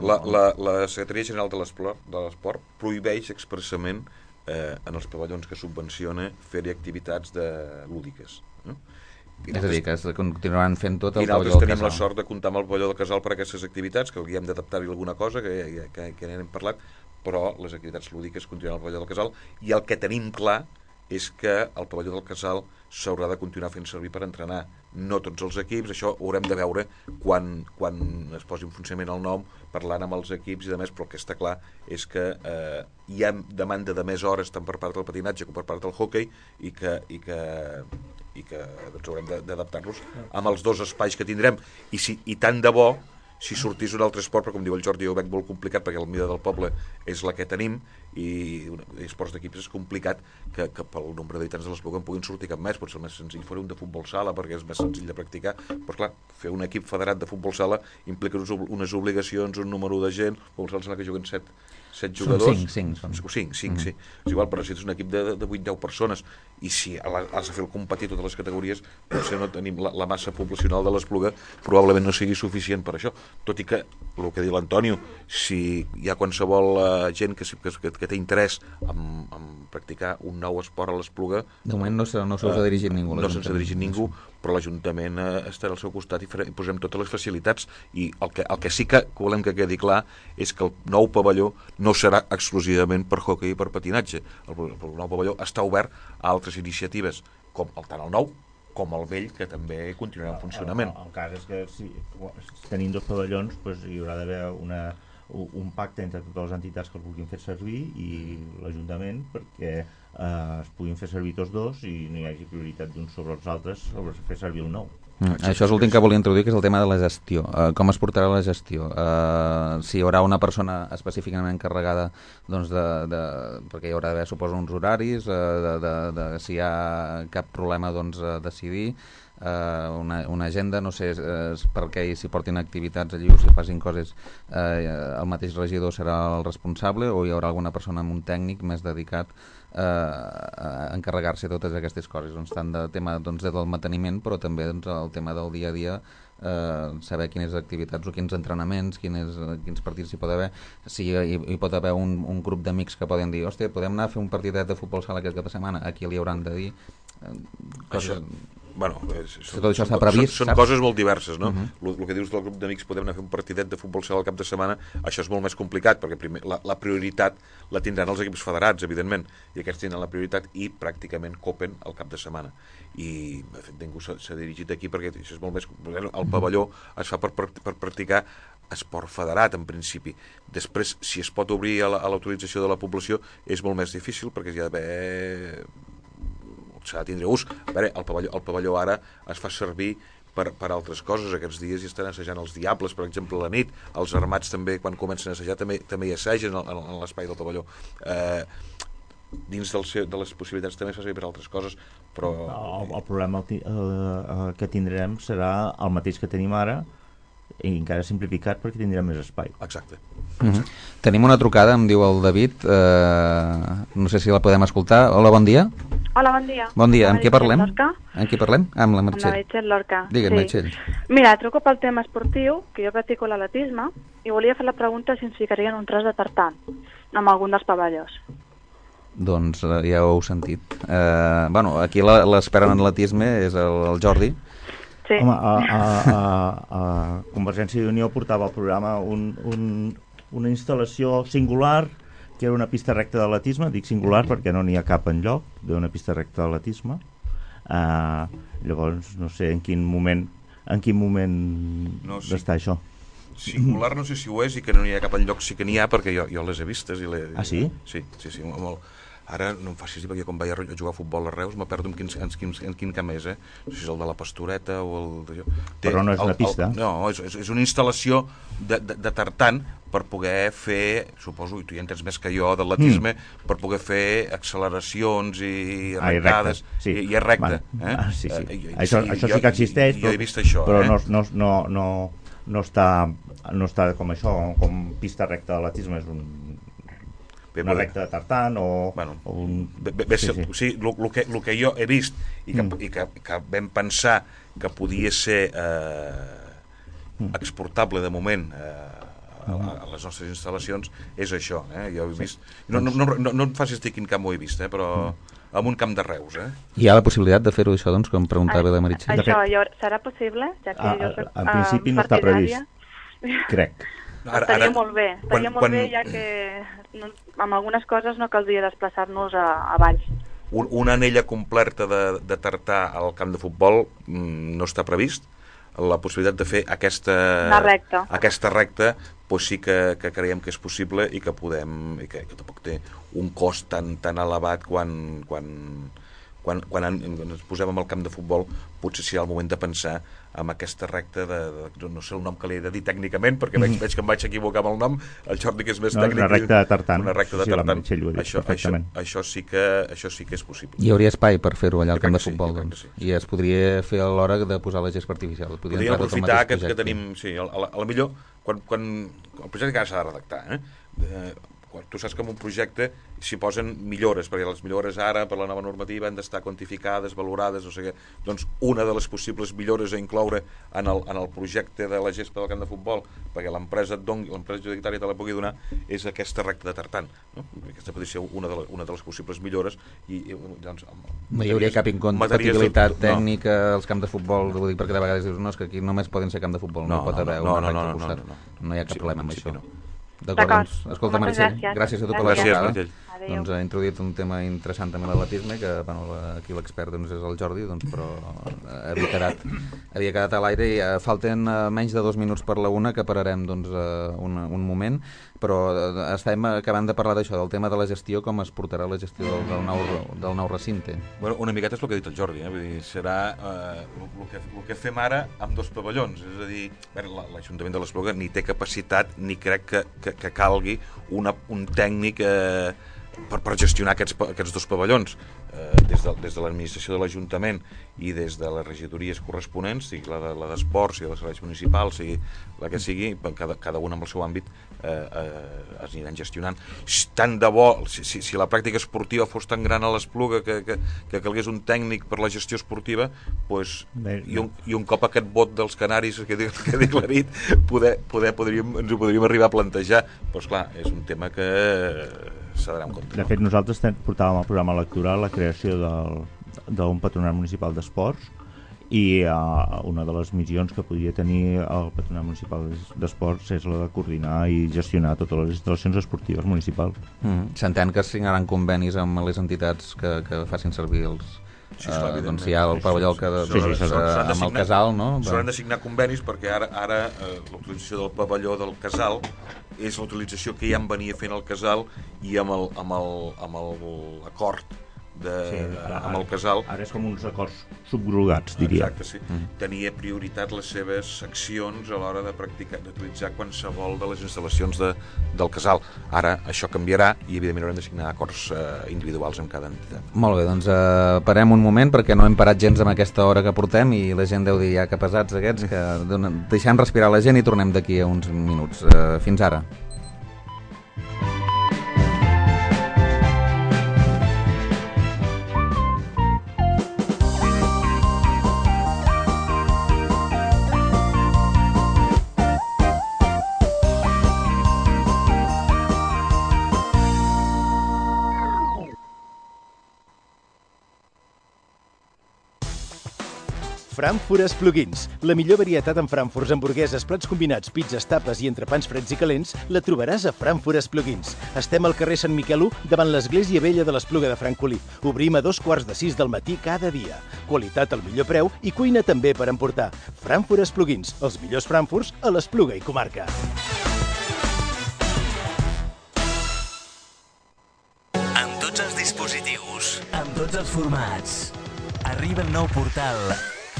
D: La Secretaria General de l'Esport prohibeix expressament en els pavellons que subvenciona fer-hi activitats lúdiques. No?
B: És a dir, que es continuaran fent tot el
D: I
B: pavelló del
D: nosaltres tenim
B: Casal.
D: la sort de comptar amb el pavelló del Casal per a aquestes activitats, que hauríem d'adaptar-hi alguna cosa, que n'hem parlat, però les activitats lúdiques continuen al pavelló del Casal, i el que tenim clar és que el pavelló del Casal s'haurà de continuar fent servir per entrenar. No tots els equips, això ho haurem de veure quan es posi en funcionament el nom, parlant amb els equips i de més, però el que està clar és que hi ha demanda de més hores tant per part del patinatge com per part del hoquei i que doncs, haurem d'adaptar-los amb els dos espais que tindrem i tant de bo si sortís un altre esport, però com diu el Jordi, jo ho veig molt complicat perquè el mida del poble és la que tenim i esports d'equips és complicat que pel nombre d'habitants de l'Espluga en puguin sortir cap més. Potser el més senzill fos un de futbol sala perquè és més senzill de practicar, però clar, fer un equip federat de futbol sala implica unes obligacions, un número de gent, futbol sala que juguen 7 jugadors. 5, sí. És igual, però si és un equip de 8-10 persones i si has de fer el competir totes les categories, potser no tenim la massa poblacional de l'Espluga, probablement no sigui suficient per això. Tot i que, el que diu l'Antonio, si hi ha qualsevol gent que té interès en practicar un nou esport a l'Espluga...
B: De moment no se'ls ha dirigit ningú.
D: No se'ls ha dirigit ningú, però l'Ajuntament estarà al seu costat i posem totes les facilitats. I el que sí que volem que quedi clar és que el nou pavelló no serà exclusivament per hoquei i per patinatge. El nou pavelló està obert a altres iniciatives, com tant el nou com el vell, que també continuarà en funcionament.
C: El cas és que si tenim dos pavellons, doncs hi haurà d'haver un pacte entre totes les entitats que el vulguin fer servir i l'Ajuntament perquè es puguin fer servir tots dos i no hi hagi prioritat d'uns sobre els altres sobre fer servir el nou.
B: Això és l'últim que volia introduir, que és el tema de la gestió. Com es portarà la gestió? Si hi haurà una persona específicament encarregada doncs perquè hi haurà d'haver, suposo, uns horaris, si hi ha cap problema doncs, decidir, una agenda, no sé per què s'hi portin activitats allí o si facin coses, el mateix regidor serà el responsable o hi haurà alguna persona amb un tècnic més dedicat a encarregar-se de totes aquestes coses, doncs, tant de tema doncs, del manteniment, però també doncs, el tema del dia a dia saber quines activitats o quins entrenaments, quins partits hi pot haver, si hi pot haver un grup d'amics que poden dir, hòstia, podem anar a fer un partidet de futbol sala aquest cap de setmana, aquí li hauran de dir coses...
D: Bueno,
B: tot això està previst,
D: són coses molt diverses, no? El que dius del grup d'amics, podem anar a fer un partidet de futbol sala al cap de setmana, això és molt més complicat, perquè primer, la prioritat la tindran els equips federats, evidentment, i aquests tindran la prioritat i pràcticament copen al cap de setmana. I, de fet, ningú s'ha dirigit aquí perquè això és molt més... El pavelló es fa per practicar esport federat, en principi. Després, si es pot obrir a l'autorització de la població, és molt més difícil, perquè hi ha d'haver... s'ha de tindre ús. A veure, el pavelló ara es fa servir per altres coses. Aquests dies hi estan assajant els Diables, per exemple, a la nit. Els Armats també, quan comencen a assajar, també hi assagen en l'espai del pavelló. Dins de les possibilitats també es fa servir per altres coses, però...
C: El problema que tindrem serà el mateix que tenim ara, i encara simplificat perquè tindrem més espai.
D: Exacte.
B: Tenim una trucada, em diu el David, no sé si la podem escoltar. Hola, bon dia.
G: Hola, bon dia.
B: Bon dia, amb qui parlem?
G: Amb
B: qui parlem? Amb la Meritxell.
G: Amb la Meritxell Lorca.
B: Digue'm, Meritxell.
G: Mira, truco pel tema esportiu, que jo practico l'atletisme, i volia fer la pregunta si ens ficarien un tros de tartan amb algun dels pavellons.
B: Doncs ja ho heu sentit. Bueno, aquí l'expert en atletisme és el Jordi.
G: Sí.
C: Home, a Convergència i Unió portava al programa una instal·lació singular, que era una pista recta d'atletisme. Dic singular perquè no n'hi ha cap enlloc d'una pista recta d'atletisme. Llavors, no sé en quin moment d'estar això.
D: Singular no sé si ho és, i que no n'hi ha cap enlloc sí que n'hi ha, perquè jo les he vistes.
C: Ah, sí?
D: Sí, molt. Ara no em facis dir, perquè quan vaig a jugar a futbol a Reus me perdo en quin camp és, no sé si és el de la Pastoreta o el...
C: Però no és una pista.
D: No, és una instal·lació de tartan per poder fer, suposo, i tu ja entens més que jo d'atletisme, per poder fer acceleracions i arrencades, i és recte.
C: Sí. Això sí que existeix,
D: jo he vist això,
C: però no està com això, com pista recta d'atletisme, és una recta de tartan o un...
D: Sí, el que jo he vist i que vam pensar que podia ser exportable de moment a les nostres instal·lacions és això. Jo he vist... No em facis dir quin camp ho he vist, però en un camp de Reus.
B: Hi ha la possibilitat de fer-ho això, doncs, com preguntava la Meritxell?
G: Això serà possible? Ja que jo soc
C: en principi no està previst, crec.
G: Estaria molt bé, ja que amb algunes coses no caldria desplaçar-nos a Valls.
D: Una anella completa de tartà al camp de futbol no està previst. La possibilitat de fer aquesta recta doncs sí que creiem que és possible i que podem, i que tampoc té un cost tan elevat quan ens posem en el camp de futbol. Potser serà el moment de pensar en aquesta recta no sé el nom que li he de dir tècnicament, perquè veig que em vaig equivocar amb el nom. El Jordi, que és més tècnic,
C: una recta de tartan.
D: Això sí que és possible.
B: Hi hauria espai per fer-ho allà al camp de futbol, doncs. I es podria fer a l'hora de posar la gespa artificial.
D: Podríem aprofitar que tenim, sí, a la millor quan el projecte encara s'ha de redactar, tu saps que en un projecte s'hi posen millores, perquè les millores ara per la nova normativa han d'estar quantificades, valorades, o sigui, doncs una de les possibles millores a incloure en el projecte de la gespa del camp de futbol, perquè l'empresa adjudicatària te la pugui donar, és aquesta recta de tartan, no? Aquesta podria ser una de les possibles millores i doncs,
B: no hi hauria cap incompatibilitat tècnica als camps de futbol, ho dic perquè de vegades dius, no, és que aquí només poden ser camp de futbol, no hi pot haver una recta al costat, no hi ha cap problema amb això. D'acord, doncs, escolta, Meritxell, gràcies a tu per la trucada. Doncs ha introduït un tema interessant també l'atletisme, que aquí l'expert és el Jordi, però havia quedat a l'aire i falten menys de 2 minuts per la una, que pararem un moment, però estem acabant de parlar d'això, del tema de la gestió, com es portarà la gestió del nou recinte.
D: Bueno, una miqueta és el que ha dit el Jordi, vull dir, serà el que fem ara amb 2 pavellons, és a dir, l'Ajuntament de l'Espluga ni té capacitat ni crec que calgui un tècnic per gestionar aquests dos pavellons, des de l'administració de l'Ajuntament i des de les regidories corresponents, sigui la d'esports, sigui la de serveis municipals, sigui la que sigui, cada un amb el seu àmbit es aniran gestionant. Tant de bo, si la pràctica esportiva fos tan gran a l'Espluga que calgués un tècnic per la gestió esportiva, doncs, i un cop aquest vot dels canaris que he declarit, ens ho podríem arribar a plantejar. Però, esclar, és un tema que s'ha d'anar en compte.
C: De fet, nosaltres portàvem al programa electoral la creació d'un patronat municipal d'esports, i una de les missions que podria tenir el patronat municipal d'esports és la de coordinar i gestionar totes les instal·lacions esportives municipals.
B: S'entén que es signaran convenis amb les entitats que facin servir els...
D: Sí, esclar,
B: doncs hi ha el pavelló amb el casal, no?
D: S'hauran de signar convenis perquè ara la utilització del pavelló del casal és la utilització que ja en venia fent el casal, i amb l'acord amb el casal.
C: Ara és com uns acords subgrogats, diria.
D: Exacte, sí. Tenia prioritat les seves accions a l'hora de practicar, d'utilitzar qualsevol de les instal·lacions del casal. Ara això canviarà i evidentment haurem de signar acords individuals amb cada entitat.
B: Molt bé, doncs parem un moment perquè no hem parat gens amb aquesta hora que portem i la gent deu dir ja que pesats aquests, que deixem respirar la gent i tornem d'aquí a uns minuts. Fins ara.
H: Frankfurt Plugins. La millor varietat en frankfurts, hamburgueses, plats combinats, pizzas, tapes i entrepans freds i calents la trobaràs a Frankfurt Plugins. Estem al carrer Sant Miquel 1, davant l'església vella de l'Espluga de Francolí. Obrim a 5:45 del matí cada dia. Qualitat al millor preu i cuina també per emportar. Frankfurt Plugins, els millors frankfurts a l'Espluga i comarca.
I: Amb tots els dispositius, amb tots els formats, arriba el nou portal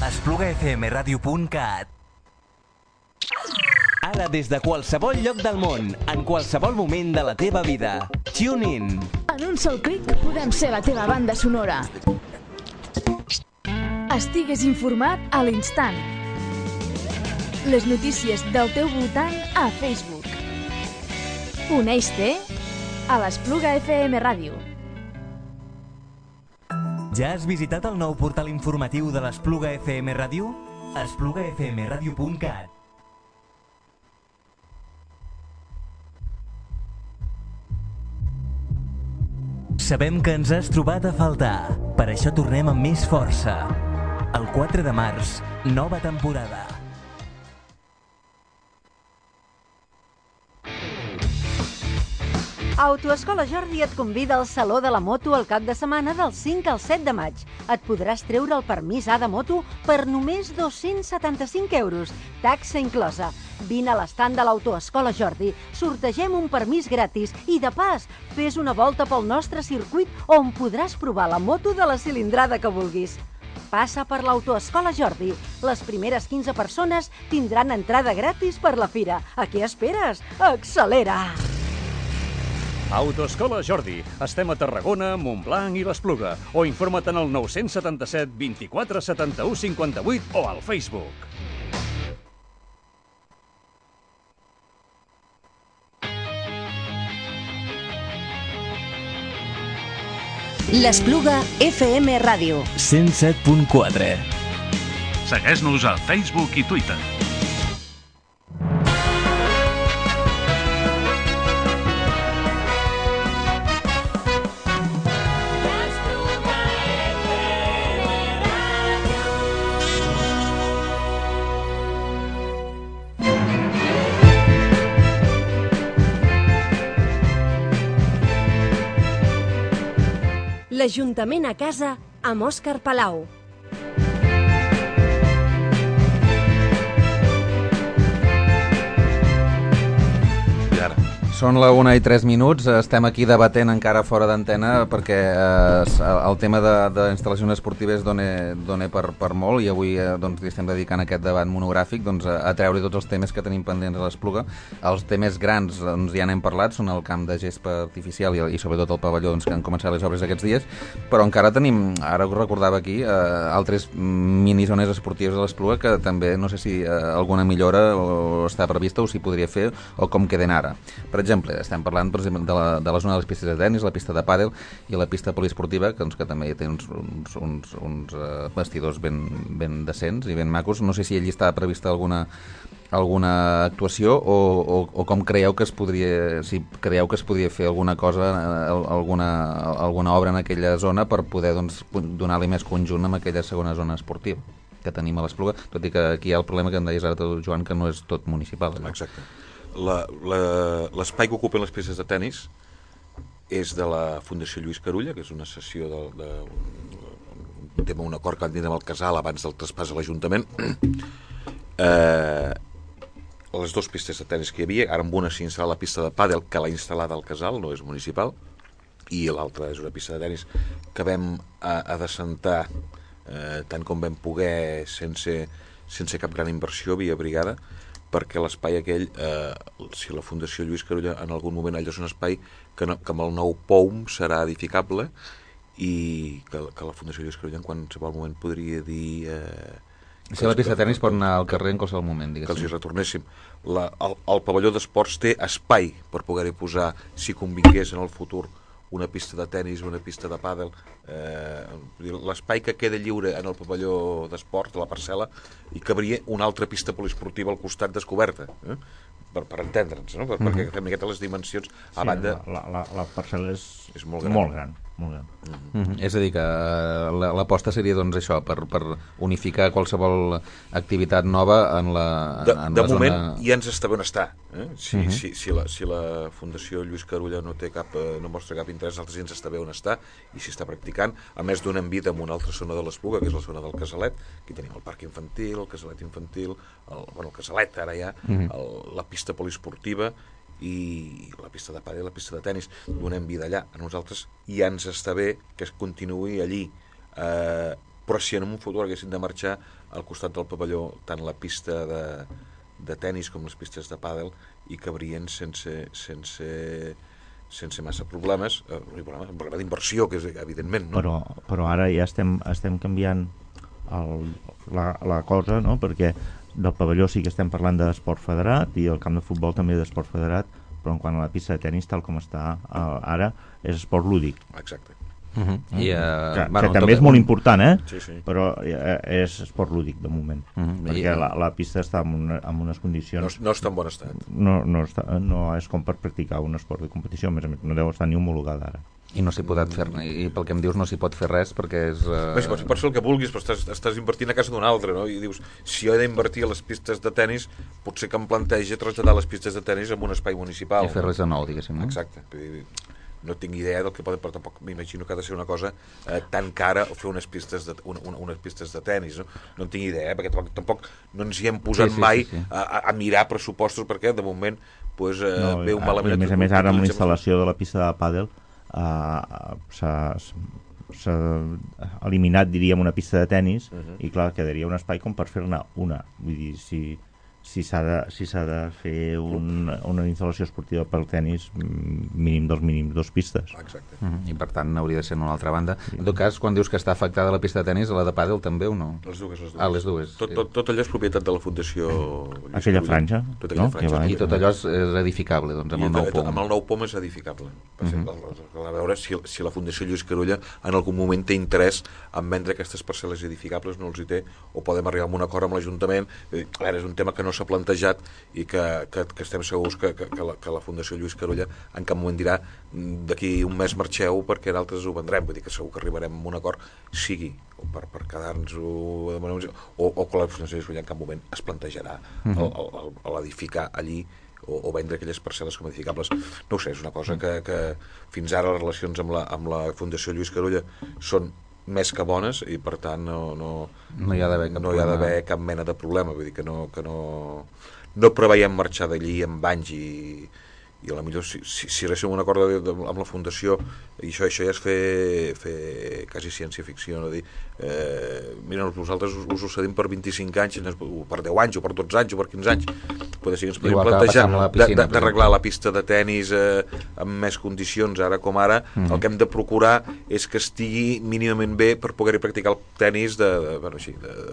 I: esplugafmradio.cat. Ara des de qualsevol lloc del món, en qualsevol moment de la teva vida. Tune in.
J: En un sol clic podem ser la teva banda sonora. Estigues informat a l'instant. Les notícies del teu voltant a Facebook. Uneix-te a l'Espluga FM Ràdio.
I: Ja has visitat el nou portal informatiu de l'Espluga FM Ràdio? esplugafmradio.cat. Sabem que ens has trobat a faltar. Per això tornem amb més força. El 4 de març, nova temporada.
K: Autoescola Jordi et convida al Saló de la Moto el cap de setmana del 5 al 7 de maig. Et podràs treure el permís A de moto per només 275 €, taxa inclosa. Vine a l'estand de l'Autoescola Jordi, sortegem un permís gratis i, de pas, fes una volta pel nostre circuit on podràs provar la moto de la cilindrada que vulguis. Passa per l'Autoescola Jordi. Les primeres 15 persones tindran entrada gratis per la fira. A què esperes? Accelera!
L: Autoescola Jordi. Estem a Tarragona, Montblanc i l'Espluga. O informa't en el 977 24 71 58 o al Facebook.
A: L'Espluga FM Ràdio.
I: 107.4.
L: Segueix-nos a Facebook i Twitter.
A: L'Ajuntament a casa amb Òscar Palau.
D: I ara,
B: Són la 1:03, estem aquí debatent encara fora d'antena perquè el tema d'instal·lacions esportives dona per molt, i avui doncs, li estem dedicant aquest debat monogràfic doncs, a treure tots els temes que tenim pendents a l'Espluga. Els temes grans doncs, ja n'hem parlat, són el camp de gespa artificial i sobretot el pavelló doncs, que han començat les obres aquests dies, però encara tenim, ara us recordava aquí, altres minizones esportives de l'Espluga que també no sé si alguna millora o està prevista o s'hi podria fer o com queden ara. Per exemple, estem parlant per exemple, de la zona de les pistes de tenis, la pista de pàdel i la pista poliesportiva, que també té uns vestidors ben decents i ben macos. No sé si allí està prevista alguna actuació o com creieu que es podria, si creieu que es podria fer alguna cosa, alguna obra en aquella zona per poder doncs, donar-li més conjunt a aquella segona zona esportiva que tenim a l'Espluga, tot i que aquí hi ha el problema que em deies ara tu, Joan, que no és tot municipal. Allò. Exacte.
D: L'espai que ocupen les pistes de tenis és de la Fundació Lluís Carulla, que és una cessió un acord que han dit amb el Casal abans del traspàs a l'Ajuntament. Les dues pistes de tenis que hi havia, ara amb una s'ha instal·lat la pista de pàdel que l'ha instal·lada el Casal, no és municipal, i l'altra és una pista de tenis que vam adecentar tant com vam poder sense cap gran inversió via brigada, perquè l'espai aquell, si la Fundació Lluís Carulla en algun moment allò és un espai que amb el nou POUM serà edificable i que la Fundació Lluís Carulla en qualsevol moment podria dir...
B: Si la pista de tenis pot anar al carrer en qualsevol moment, diguéssim.
D: Que els hi retornéssim. El pavelló d'esports té espai per poder-hi posar, si convingués en el futur, una pista de tenis, una pista de pàdel, l'espai que queda lliure en el pavelló d'esport, de la parcel·la, i cabria una altra pista poliesportiva al costat descoberta, per entendre'ns, no? Perquè fem les dimensions a banda...
C: La parcel·la és molt gran.
B: És a dir, que l'aposta seria doncs això, per unificar qualsevol activitat nova en la zona...
D: De moment ja ens està bé on està. Si la Fundació Lluís Carulla no mostra cap interès, altres ja ens està bé on està i s'hi està practicant. A més, donem vida en una altra zona de l'Espluga, que és la zona del Casalet. Aquí tenim el parc infantil, el Casalet infantil, el Casalet ara ja, la pista poliesportiva i la pista de pàdel i la pista de tenis. Donem vida allà. A nosaltres ja ens està bé que es continuï allí, però si en un futur haguessin de marxar al costat del pavelló tant la pista de tenis com les pistes de pàdel i cabrien sense massa problemes, un problema d'inversió que és evidentment, no?
C: Però ara ja estem canviant la cosa, no? Perquè del pavelló sí que estem parlant d'esport federat i el camp de futbol també d'esport federat, però en quant a la pista de tenis, tal com està ara, és esport lúdic.
D: Exacte.
C: Que també és molt important, sí. Però és esport lúdic de moment, perquè la pista està en unes condicions...
D: No està en bon estat.
C: No és com per practicar un esport de competició, a més no deu estar ni homologada ara.
B: I no s'hi pot fer, i pel que em dius no s'hi pot fer res perquè és...
D: Si pots fer el que vulguis, però estàs invertint a casa d'un altre, no? I dius, si jo he d'invertir a les pistes de tenis, potser que em plantegi traslladar les pistes de tenis en un espai municipal.
B: I fer-les de nou, diguéssim, no?
D: Exacte. No tinc idea del que pot, però tampoc m'imagino que ha de ser una cosa tan cara o fer unes pistes de tenis, no? No en tinc idea, perquè tampoc no ens hi hem posat mai a mirar pressupostos, perquè de moment ve un malament...
C: A més ara amb la instal·lació de la pista de pàdel s'ha eliminat, diríem, una pista de tenis i clar, quedaria un espai com per fer-ne una. Vull dir, si s'ha de fer una instal·lació esportiva pel tenis, mínim dels mínims 2 pistes.
D: Exacte.
B: I per tant hauria de ser en una altra banda. En tot cas, quan dius que està afectada la pista de tenis, la de pàdel també o no?
D: Les dues.
B: Les dues.
D: Tot allò és propietat de la Fundació
C: aquella franja.
B: I tot allò és edificable, doncs, amb el nou POM.
D: Amb el nou POM és edificable. A veure si la Fundació Lluís Carulla en algun moment té interès en vendre aquestes parcel·les edificables, no els hi té, o podem arribar a un acord amb l'Ajuntament. A veure, és un tema que no s'ha plantejat i que estem segurs que la Fundació Lluís Carulla en cap moment dirà d'aquí un mes marxeu perquè d'altres ho vendrem, vull dir que segur que arribarem a un acord, sigui o per quedar-nos-ho o que la Fundació Lluís Carulla en cap moment es plantejarà l'edificar allí o vendre aquelles parcel·les com edificables. No ho sé, és una cosa que fins ara les relacions amb la Fundació Lluís Carulla són més que bones i per tant no hi ha d'haver cap mena de problema, vull dir que no preveiem marxar d'allí amb anys i a la millor si arribéssim a un acord amb la Fundació, i això ja és fer quasi ciència-ficció, no? Dir, mira, nosaltres us ho cedim per 25 anys, o per 10 anys, o per 12 anys, o per 15 anys. Potser sí que ens podem plantejar d'arreglar la pista de tennis amb més condicions, ara com ara. El que hem de procurar és que estigui mínimament bé per poder-hi practicar el tennis de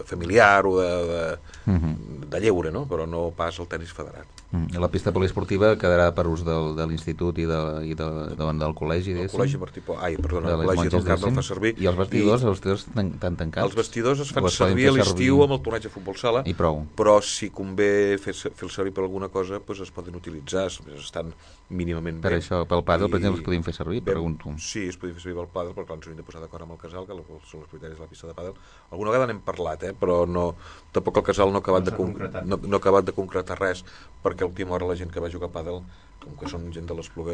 D: familiar o de lleure, no? Però no pas el tennis federat.
B: La pista poliesportiva quedarà per ús de l'institut i del col·legi,
D: el col·legi Martí Pol, el col·legi del Carme el fa servir.
B: I els vestidors estan tancats?
D: Els vestidors es fan servir a l'estiu amb el torneig de futbol sala,
B: i prou.
D: Però si convé fer-los servir per alguna cosa, doncs es poden utilitzar, estan mínimament bé.
B: Per això, pel pàdel, per exemple, es podien fer servir, pregunto.
D: Sí, es podien fer servir pel pàdel, perquè ens hauríem de posar d'acord amb el casal, que són els criteris de la pista de pàdel. Alguna vegada n'hem parlat, però tampoc el casal no ha acabat de concretar res, perquè a l'última hora la gent que va jugar a pàdel, com que són gent de l'Espluga,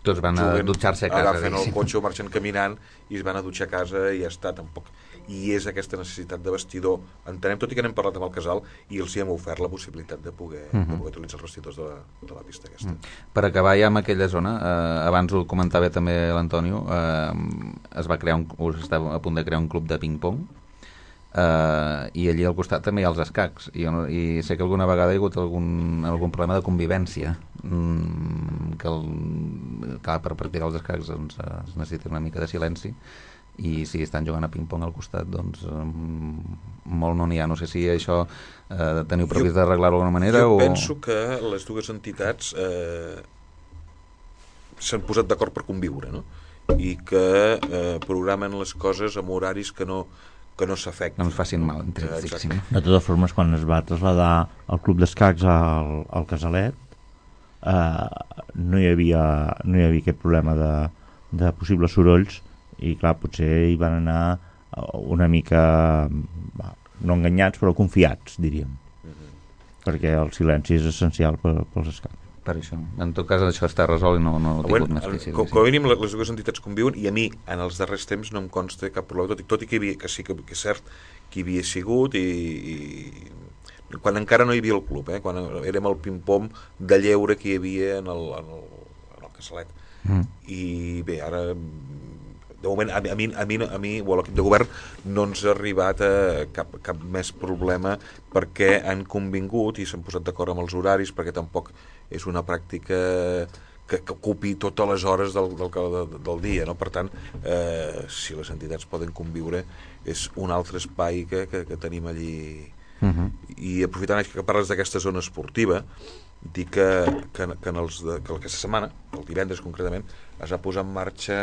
B: tots van a dutxar-se a casa,
D: agafen el cotxe o marxen caminant i es van a dutxar a casa i ja està, tampoc. I és aquesta necessitat de vestidor, entenem, tot i que n'hem parlat amb el casal i els hi hem ofert la possibilitat de poder utilitzar els vestidors de la pista aquesta.
B: Per acabar ja amb aquella zona, abans ho comentava també l'Antonio, es va crear estava a punt de crear un club de ping-pong, i allí al costat també hi ha els escacs, i sé que alguna vegada hi ha hagut algun problema de convivència, que per practicar els escacs doncs, es necessita una mica de silenci, i si estan jugant a ping-pong al costat, doncs molt no n'hi ha. No sé si això teniu previst d'arreglar-ho d'alguna manera.
D: Jo penso que les dues entitats s'han posat d'acord per conviure, no? I que programen les coses amb horaris que no s'afecten.
B: No ens facin mal, diguéssim.
C: De totes formes, quan es va traslladar el club d'escacs al Casalet, no hi havia aquest problema de possibles sorolls, i clar, potser hi van anar una mica no enganyats, però confiats, diríem, perquè el silenci és essencial pels escacs.
B: Per això. En tot cas, això està resolt i no ha tingut més crisi.
D: Com a mínim, les dues entitats conviuen, i a mi, en els darrers temps, no em consta cap problema, tot i que sí que és cert que hi havia sigut, i quan encara no hi havia el club, quan érem el ping-pong de lleure que hi havia en el Casalet. I bé, ara de moment, a mi o a l'equip de govern no ens ha arribat cap més problema, perquè han convingut i s'han posat d'acord amb els horaris, perquè tampoc és una pràctica que ocupi totes les hores del dia, no? Per tant, si les entitats poden conviure, és un altre espai que tenim allí. I aprofitant que parles d'aquesta zona esportiva, dir que aquesta setmana, el divendres concretament, es va posar en marxa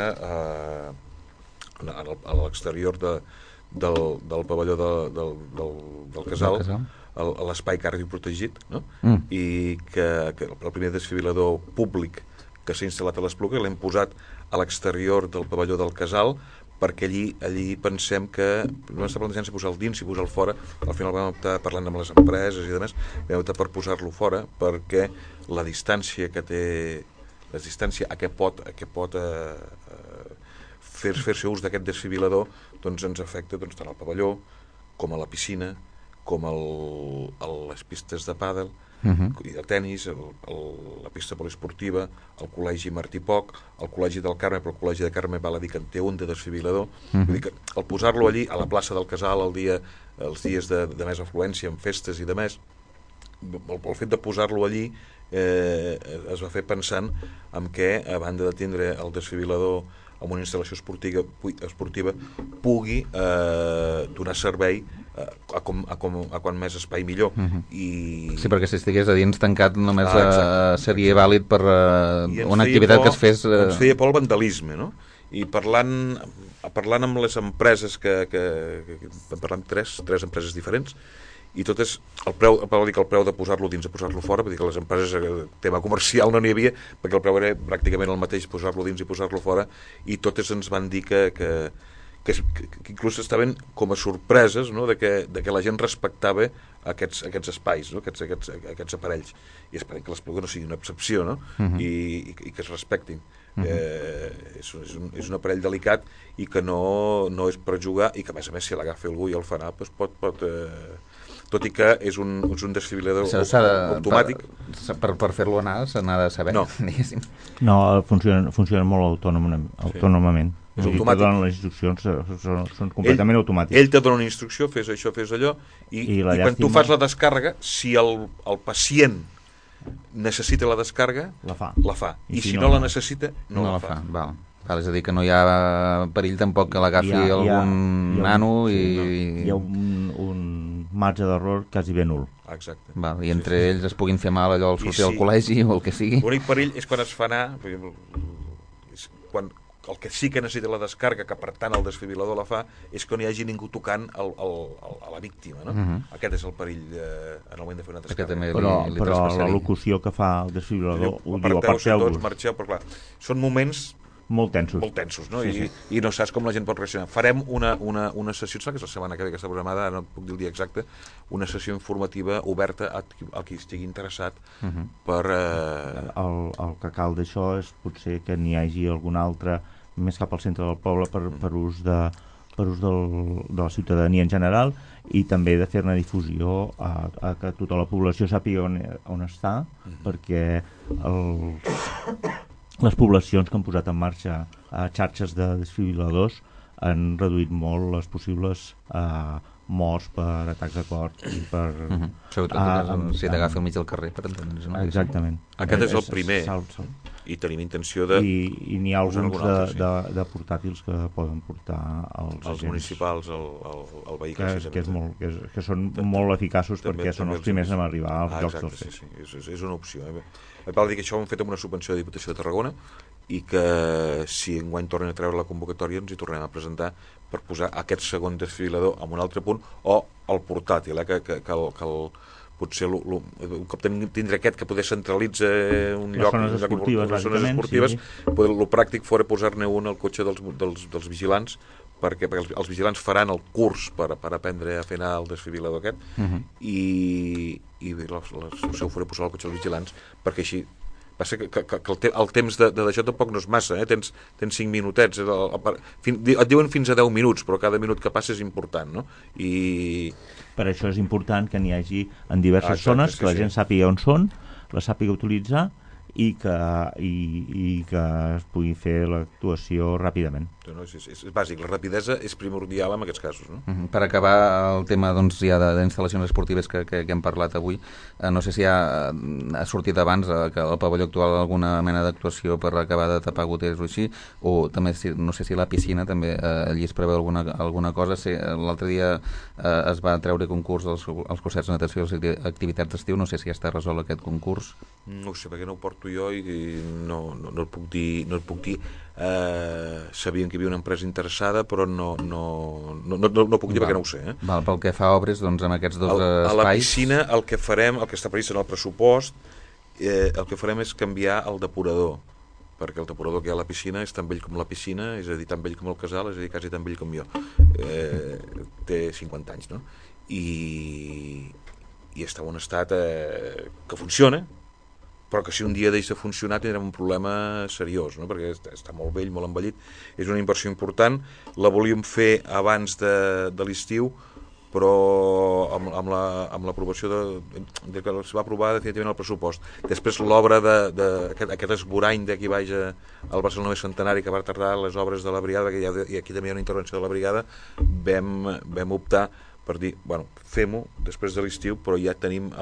D: a l'exterior del pavelló del casal, l'espai cardioprotegit, no? I que el primer desfibrilador públic que s'ha instal·lat a l'Espluga l'hem posat a l'exterior del pavelló del casal, perquè allí pensem que no està plantejant si posar-lo dins, si posar-lo fora. Al final vam optar, parlant amb les empreses i demés, vam optar per posar-lo fora, perquè la distància que té, la distància a què pot fer-se ús d'aquest desfibrilador, doncs ens afecta tant al pavelló com a la piscina, com a les pistes de pàdel i de tennis, la pista poliesportiva, el col·legi Martí Poc, el col·legi del Carme, però el col·legi de Carme val a dir que en té un de desfibrilador. Vull dir que al posar-lo allí, a la plaça del Casal, els dies de més afluència, en festes i de més, el fet de posar-lo allí es va fer pensant en què, a banda de tindre el desfibrilador amb una instal·lació esportiva pugui donar servei a quan més espai millor.
B: Sí, perquè si estigués a dins tancat només seria vàlid per una activitat que es fes...
D: Ens feia por el vandalisme, no? I parlant amb les empreses parlant amb tres empreses diferents, i totes, el preu de posar-lo dins a posar-lo fora, vull dir que les empreses, tema comercial no n'hi havia, perquè el preu era pràcticament el mateix, posar-lo dins i posar-lo fora, i totes ens van dir que inclús estaven com a sorpreses, no? de que la gent respectava aquests espais, no? aquests aparells, i esperem que l'Espluga no sigui una excepció, no? I que es respectin. És un aparell delicat i que no és per jugar, i que a més si l'agafa algú i el farà, doncs pot tot i que és un desfibrilador automàtic.
B: Per fer-lo anar se n'ha de saber, diguéssim.
C: No, funciona molt autònomament.
D: És automàtic.
C: Les instruccions són completament automàtiques.
D: Ell te dona una instrucció, fes això, fes allò, i quan tu fas la descàrrega, si el pacient necessita la descàrrega, la fa. I si no la necessita, no la fa.
B: Val, és a dir, que no hi ha perill tampoc que l'agafi algun nano
C: i... Hi ha un marge d'error quasi ben nul.
D: Exacte.
B: I entre ells es puguin fer mal allò al sortir del col·legi o el que sigui.
D: L'únic perill és quan es fa anar, quan el que sí que necessita la descàrrega, que per tant el desfibrilador la fa, és que no hi hagi ningú tocant a la víctima, no? Aquest és el perill en el moment de fer una descàrrega.
C: Però la locució que fa el desfibrilador ho diu aparteu-vos.
D: Marxeu, però clar, són moments
C: molt tensos,
D: no? I no saps com la gent pot reaccionar. Farem una sessió, que és la setmana que ve que està programada, no puc dir el dia exacte, una sessió informativa oberta a qui estigui interessat per...
C: El que cal d'això és potser que n'hi hagi algun altre més cap al centre del poble per ús de la ciutadania en general, i també de fer una difusió a que tota la població sàpiga on està, perquè les poblacions que han posat en marxa xarxes de desfibriladors han reduït molt les possibles morts per atacs de cor i per...
B: Sobretot si t'agafi al mig del carrer, per entendre's.
C: Exactament.
D: Aquest és el primer, i tenim intenció de...
C: I n'hi ha alguns de portàtils que poden portar
D: els municipals, el vehicle.
C: Que són molt eficaços perquè són els primers a arribar als llocs dels fets.
D: Sí, és una opció. Val dir que això ho hem fet amb una subvenció de Diputació de Tarragona i que si enguany tornen a treure la convocatòria ens hi tornem a presentar per posar aquest segon desfibrilador en un altre punt, o el portàtil, que potser un cop tindre aquest que poder centralitza un lloc, les zones esportives, el pràctic fora posar-ne un al cotxe dels vigilants, perquè els vigilants faran el curs per aprendre a fer anar el desfibrilador aquest, i la solució fora posar el cotxe dels vigilants, perquè així passa que el temps d'això tampoc no és massa, tens 5 minutets, et diuen fins a 10 minuts, però cada minut que passa és important, no? I
C: per això és important que n'hi hagi en diverses zones, que la gent sàpiga on són, la sàpiga utilitzar i que es pugui fer l'actuació ràpidament.
D: És bàsic, la rapidesa és primordial en aquests casos, no?
B: Per acabar el tema ja d'instal·lacions esportives que hem parlat avui, no sé si ha sortit abans que el pavelló actual alguna mena d'actuació per acabar de tapar goteres o així, o també no sé si la piscina també allí es preveu alguna cosa. L'altre dia es va treure concurs als cursets de natació i les activitats d'estiu, no sé si ja està resolt aquest concurs.
D: No ho sé, perquè no ho porto jo i no et puc dir. Sabien que hi havia una empresa interessada, però no puc dir perquè no ho sé.
B: Pel que fa a obres, doncs amb aquests dos espais...
D: A la piscina el que farem, el que està previst en el pressupost, el que farem és canviar el depurador, perquè el depurador que hi ha a la piscina és tan vell com la piscina, és a dir, tan vell com el casal, és a dir, quasi tan vell com jo. Té 50 anys, no? I està en un estat que funciona, però que si un dia deixa de funcionar tindrem un problema seriós, no? Perquè està molt vell, molt envellit, és una inversió important, la volíem fer abans de l'estiu, però amb l'aprovació que es va aprovar definitivament el pressupost. Després l'obra d'aquest esborany d'aquí baix al Barcelona Centenari, que va tardar les obres de la brigada, i aquí també hi ha una intervenció de la brigada, vam optar per dir, bueno, fem-ho després de l'estiu, però ja tenim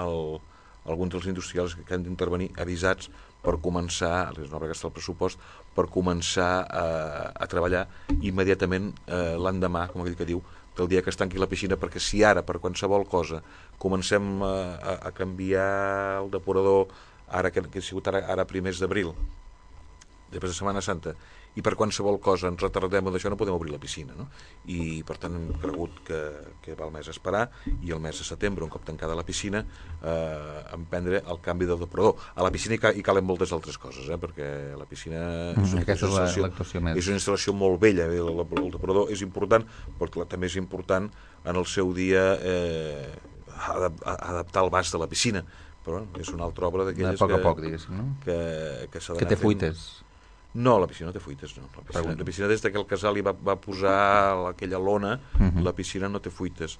D: alguns dels industrials que han d'intervenir avisats per començar, és una obra que està al pressupost, per començar a treballar immediatament l'endemà, com aquell que diu, del dia que es tanqui la piscina, perquè si ara, per qualsevol cosa, comencem a canviar el depurador, ara que ha sigut ara primers d'abril, després de Setmana Santa, i per qualsevol cosa ens retardem d'això, no podem obrir la piscina, no? I per tant hem cregut que val més esperar, i el mes de setembre, un cop tancada la piscina, emprendre el canvi del depurador. A la piscina hi calen moltes altres coses, perquè la piscina és una instal·lació molt vella, el depurador és important, però també és important en el seu dia adaptar el vas de la piscina, però és una altra obra d'aquelles
B: que... A poc a poc, diguéssim, no?
D: Que s'ha d'anar fent.
B: Que té fuites.
D: No, la piscina no té fuites, no. La piscina des que el casal hi va posar aquella lona, la piscina no té fuites.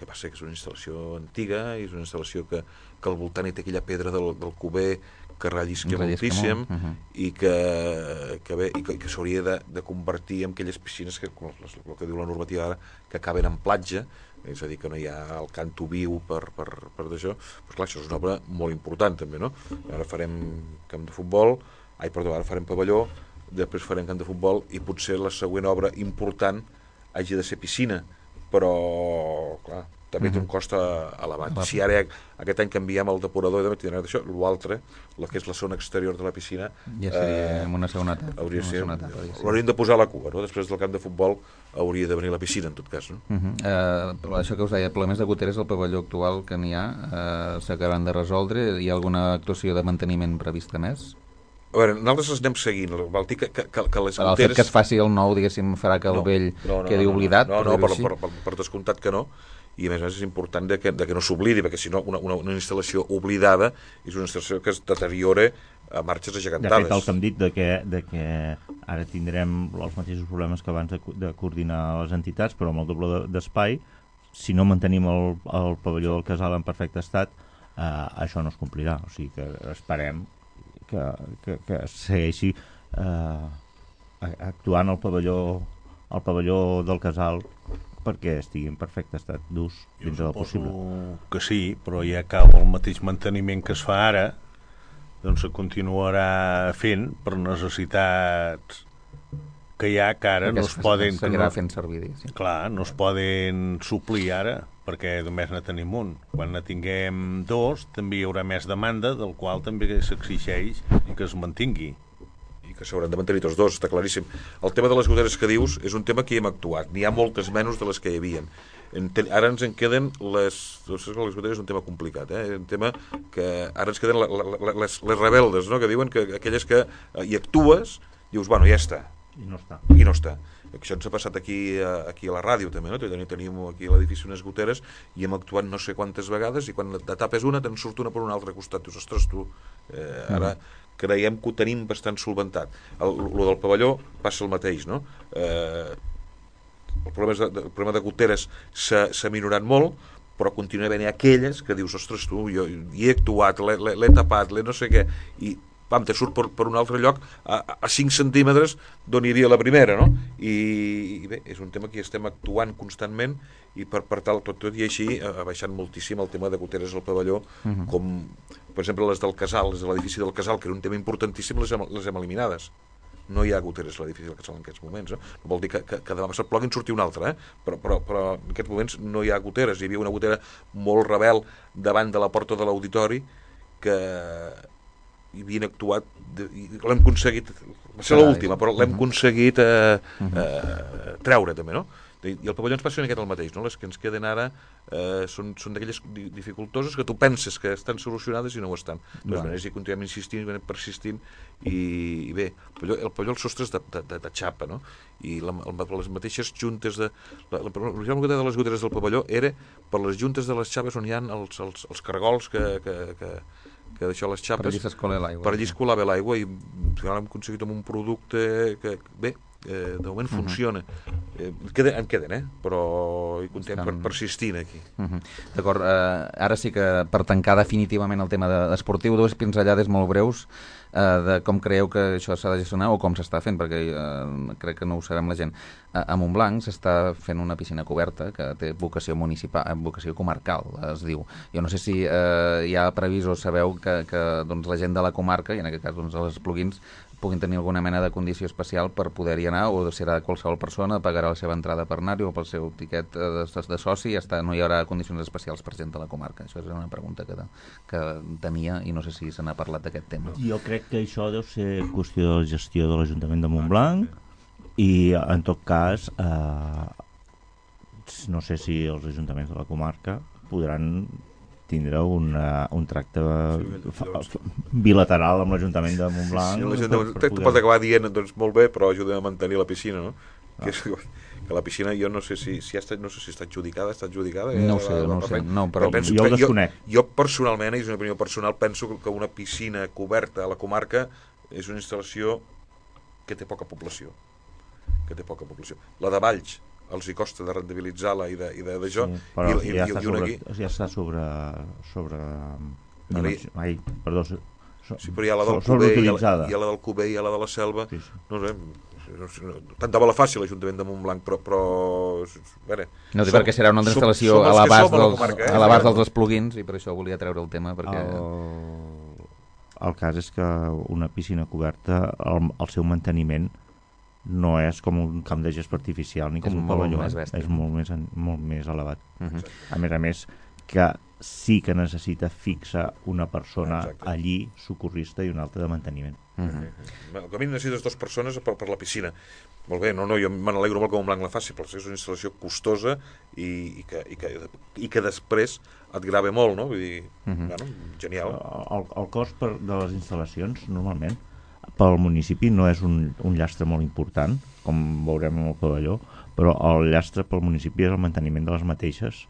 D: que passa que és una instal·lació antiga, i és una instal·lació que al voltant hi té aquella pedra del Cuber que rellisca moltíssim, i que s'hauria de convertir en aquelles piscines que, el que diu la normativa ara, que acaben en platja, és a dir, que no hi ha el canto viu per d'això. Però clar, això és una obra molt important també, no? Ara farem camp de futbol, ara farem pavelló, després farem camp de futbol, i potser la següent obra important hagi de ser piscina, però clar, també té un cost elevat. Si ara aquest any canviem el depurador, d'això, l'altre, que és la zona exterior de la piscina,
B: ja seria en una segona etapa.
D: L'hauríem de posar a la cua, no? Després del camp de futbol hauria de venir la piscina, en tot cas, no?
B: Això que us deia, problemes de goteres al pavelló actual que n'hi ha, s'acabaran de resoldre. Hi ha alguna actuació de manteniment prevista més?
D: A veure, nosaltres els anem seguint. Vol dir que les goteres...
B: El fet que es faci el nou, diguéssim, farà que el vell quedi oblidat?
D: No, per descomptat que no. I a més és important que no s'oblidi, perquè si no una instal·lació oblidada és una instal·lació que es deteriora a marxes agegantades.
C: De fet, el que hem dit de que ara tindrem els mateixos problemes que abans de coordinar les entitats, però amb el doble d'espai, si no mantenim el pavelló del casal en perfecte estat, això no es complirà. O sigui que esperem que segueixi actuant el pavelló del casal perquè estigui en perfecte estat d'ús dins del possible.
F: Que sí, però ja cau el mateix manteniment que es fa ara, doncs se continuarà fent per necessitats que hi ha, que ara no es poden...
B: Seguirà fent servir, sí.
F: Clar, no es poden suplir ara, perquè només ne tenim un. Quan ne tinguem dos, també hi haurà més demanda, del qual també s'exigeix que es mantingui.
D: Que s'hauran de mantenir tots dos, està claríssim. El tema de les goteres que dius és un tema que hi hem actuat. N'hi ha moltes menys de les que hi havia. Ara ens en queden les goteres és un tema complicat, un tema que ara ens queden les rebeldes, no? Que diuen que aquelles que hi actues, dius, bueno, ja està.
C: I no està.
D: I no està. Això ens ha passat aquí a la ràdio també, no? Tenim aquí a l'edifici unes goteres i hem actuat no sé quantes vegades, i quan de tapes una te'n surt una per un altre costat. Dius, ostres, tu, ara creiem que ho tenim bastant solventat. Lo del pavelló passa el mateix, no? El problema de goteres s'ha minorat molt, però continua havent aquelles que dius, ostres, tu, jo hi he actuat, l'he tapat, no sé què, i pam, te surt per un altre lloc a 5 centímetres d'on hi havia la primera, no? I bé, és un tema que hi estem actuant constantment, i per tal, tot i així, ha baixat moltíssim el tema de goteres al pavelló, com, per exemple, les del casal, les de l'edifici del casal, que era un tema importantíssim, les hem eliminades. No hi ha goteres a l'edifici del casal en aquests moments, no? No vol dir que demà passat plogui en surti una altra, però en aquests moments no hi ha goteres. Hi havia una gotera molt rebel davant de la porta de l'auditori que hi havien actuat, i l'hem aconseguit, va ser l'última, però l'hem aconseguit treure també, no? I el pavelló ens passa el mateix, no? Les que ens queden ara són d'aquelles dificultoses que tu penses que estan solucionades i no ho estan. De totes maneres, hi continuem insistint, persistint, i bé, el pavelló, el sostre és de xapa, no? I les mateixes juntes l'original de les goteres del pavelló era per les juntes de les xapes on hi ha els cargols que d'això les xapes
B: per
D: allí es colava l'aigua, i hem aconseguit amb un producte que, bé, de moment funciona. En queden, però hi continuem persistint aquí.
B: D'acord, ara sí que per tancar definitivament el tema esportiu, dues pinzellades molt breus de com creieu que això s'ha de gestionar o com s'està fent, perquè crec que no ho sabem la gent. A Montblanc s'està fent una piscina coberta que té vocació municipal, vocació comarcal, es diu. Jo no sé si hi ha previst o sabeu que la gent de la comarca, i en aquest cas els plugins, puguin tenir alguna mena de condició especial per poder-hi anar, o serà qualsevol persona, pagarà la seva entrada per anar-hi o pel seu tiquet de soci, i ja està, no hi haurà condicions especials per gent de la comarca. Això és una pregunta que tenia i no sé si se n'ha parlat d'aquest tema.
C: Jo crec que això deu ser qüestió de la gestió de l'Ajuntament de Montblanc, i en tot cas no sé si els ajuntaments de la comarca podran tindre un tracte bilateral amb l'Ajuntament de Montblanc.
D: Sí, pot acabar dient, doncs molt bé, però ajudem a mantenir la piscina, no? Que la piscina, jo no sé si està adjudicada.
B: No ho sé, però
C: jo ho desconec.
D: Jo personalment, i és una opinió personal, penso que una piscina coberta a la comarca és una instal·lació que té poca població. La de Valls,
M: els hi costa de rendibilitzar-la i d'això.
C: Sí, però ja està sobre
M: sí, però hi ha la del Cuber i hi ha la del Cuber i hi ha la de la Selva. Sí. No sé, tant de bola fàcil l'Ajuntament de Montblanc, però
B: no sé perquè serà una altra instal·lació a l'abast dels esplugins i per això volia treure el tema perquè...
C: El cas és que una piscina coberta, el seu manteniment no és com un camp de gespa artificial ni com un pavelló, és molt més elevat. A més, que sí que necessita fixar una persona allí, socorrista, i una altra de manteniment.
M: Com a mínim necessites 2 persones per la piscina. Molt bé, jo me n'alegro molt que Montblanc la faci, però és una instal·lació costosa i que després et grava molt, no? Vull dir, genial.
C: El cost de les instal·lacions, normalment, pel municipi no és un llastre molt important, com veurem en el pavelló, però el llastre pel municipi és el manteniment de les mateixes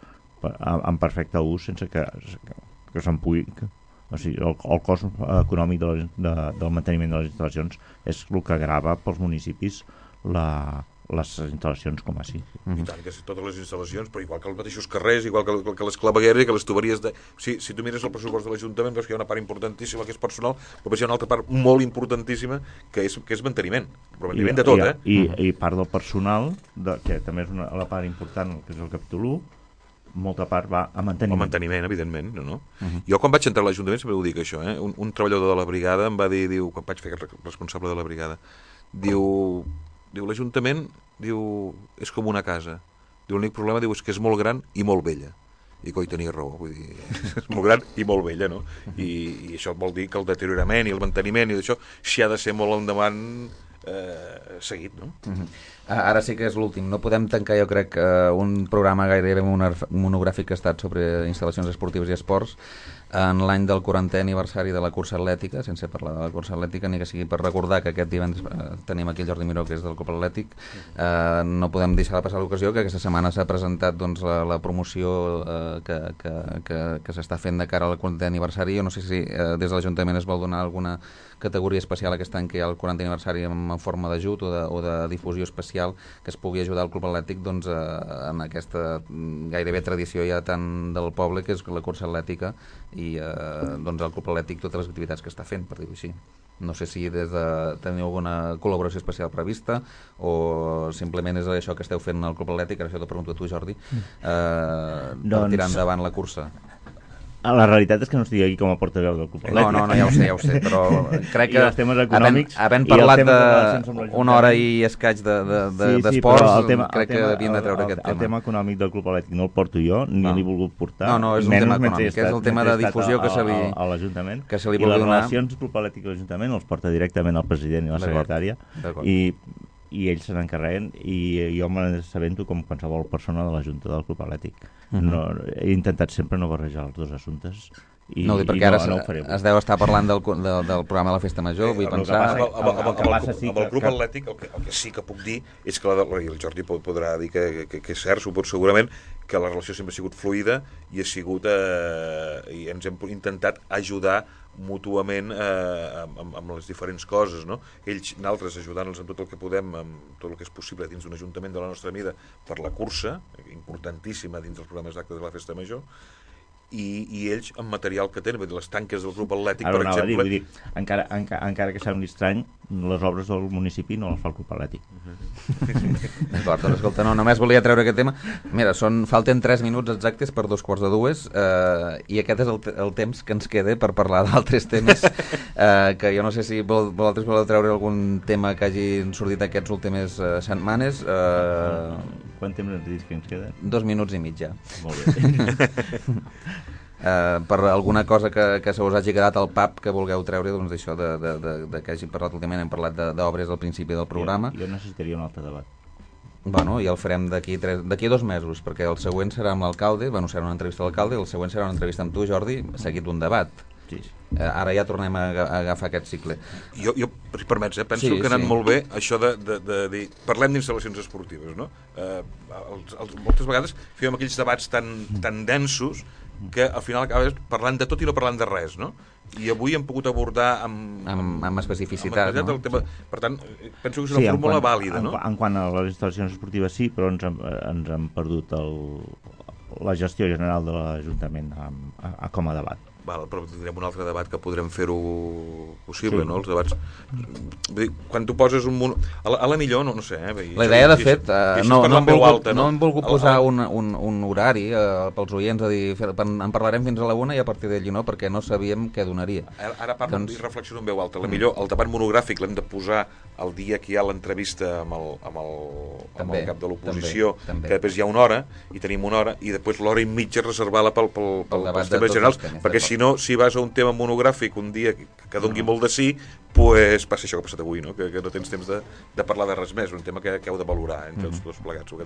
C: en perfecte ús sense que se'n pugui... O sigui, el cost econòmic del manteniment de les instal·lacions és el que grava pels municipis les instal·lacions com així.
M: I tant, que totes les instal·lacions, però igual que els mateixos carrers, igual que les clavegueres, que les tuberies... Si tu mires el pressupost de l'Ajuntament, veus que hi ha una part importantíssima que és personal, però hi ha una altra part molt importantíssima que és manteniment. Però manteniment de tot,
C: I part del personal, que també és la part important, que és el capítol 1, molta part va a manteniment.
M: El manteniment, evidentment, no? Jo quan vaig entrar a l'Ajuntament sempre ho dic això, un treballador de la brigada em va dir, quan vaig fer responsable de la brigada, diu l'Ajuntament és com una casa, l'únic problema és que és molt gran i molt vella, i coi, tenia raó, vull dir, és molt gran i molt vella, no? I això vol dir que el deteriorament i el manteniment i d'això s'hi ha de ser molt endavant seguit, no?
B: Ara sí que és l'últim. No podem tancar, jo crec, un programa gairebé monogràfic que ha estat sobre instal·lacions esportives i esports en l'any del 40è aniversari de la cursa atlètica, sense parlar de la cursa atlètica, ni que sigui per recordar que aquest divendres tenim aquí el Jordi Miró, que és del Club Atlètic. No podem deixar de passar l'ocasió que aquesta setmana s'ha presentat la promoció que s'està fent de cara al 40è aniversari. Jo no sé si des de l'Ajuntament es vol donar alguna categoria especial aquest any que hi ha el 40è aniversari en forma d'ajut o de difusió especial que es pugui ajudar el Club Atlètic en aquesta gairebé tradició ja tant del poble, que és la cursa atlètica, i el Club Atlètic totes les activitats que està fent, per dir-ho així. No sé si teniu alguna col·laboració especial prevista o simplement és això que esteu fent al Club Atlètic, ara això t'ho pregunto a tu, Jordi, per tirar endavant la cursa.
C: La realitat és que no estic aquí com a portaveu del Club Atlètic.
B: No, ja ho sé, però crec que
C: els temes econòmics,
B: havent parlat d'una hora i escaig d'esports, crec que havíem de treure aquest tema.
C: El tema econòmic del Club Atlètic no el porto jo, ni l'he volgut portar.
B: No, és un tema econòmic, és el tema de difusió que se li vol donar.
C: I les relacions del Club Atlètic i l'Ajuntament els porta directament el president i la secretària, i ells se n'encarreguen, i jo m'assabento com qualsevol persona de la Junta del Club Atlètic. He intentat sempre no barrejar els dos assumptes
B: no, perquè ara es deu estar parlant del programa de la Festa Major, vull pensar...
M: Amb el Club Atlètic el que sí que puc dir és que el Jordi podrà dir que és cert, segurament, que la relació sempre ha sigut fluida i i ens hem intentat ajudar mútuament amb les diferents coses, no? Nosaltres ajudant-los en tot el que podem, amb tot el que és possible dins d'un ajuntament de la nostra mida per la cursa, importantíssima dins dels programes d'actes de la Festa Major, i ells amb material que tenen, les tanques del Club Atlètic, per exemple...
C: Vull dir, encara que sembli estrany, les obres del municipi no les fa el Club Atlètic.
B: D'acord, doncs escolta, només volia treure aquest tema. Mira, falten 3 minuts exactes per 2:45, i aquest és el temps que ens queda per parlar d'altres temes, que jo no sé si vosaltres voleu treure algun tema que hagin sortit aquests últimes setmanes.
C: Quant temps ens dius que ens queda?
B: 2 minuts i mig ja.
C: Molt bé.
B: Per alguna cosa que se us hagi quedat al pap que vulgueu treure, doncs d'això que hagin parlat últimament, hem parlat d'obres al principi del programa.
C: Jo necessitaria un altre debat.
B: Bueno, i el farem d'aquí 2 mesos, perquè el següent serà amb l'alcalde, serà una entrevista a l'alcalde, i el següent serà una entrevista amb tu, Jordi, seguit d'un debat.
C: Sí.
B: Ara ja tornem a agafar aquest cicle.
M: Jo si permets, penso que ha anat molt bé això de dir, parlem d'instal·lacions esportives, no? Moltes vegades fèiem aquells debats tan densos que al final acabes parlant de tot i no parlant de res, no? I avui hem pogut abordar
B: amb especificitat,
M: no? Tema. Per tant, penso que és una fórmula vàlida, no?
C: En quant a les instal·lacions esportives sí, però ens hem perdut la gestió general de l'Ajuntament com a debat.
M: Val, però tindrem un altre debat que podrem fer-ho possible, no? Els debats... Quan tu poses un... A la millor, no sé,
B: La idea, de fet, no hem volgut posar un horari pels oients, a dir, en parlarem fins a la 1 i a partir d'allí no, perquè no sabíem què donaria.
M: Ara parlo i reflexiono en veu alta. La millor, el debat monogràfic l'hem de posar el dia que hi ha l'entrevista amb el cap de l'oposició, que després hi ha una hora, i tenim una hora, i després l'hora i mitja reservar-la pels temes generals, perquè si no, si vas a un tema monogràfic un dia que dongui molt de sí, pues passa això que ha passat avui, no? Que no tens temps de parlar de res més, un tema que heu de valorar entre els dos plegats.
B: Ho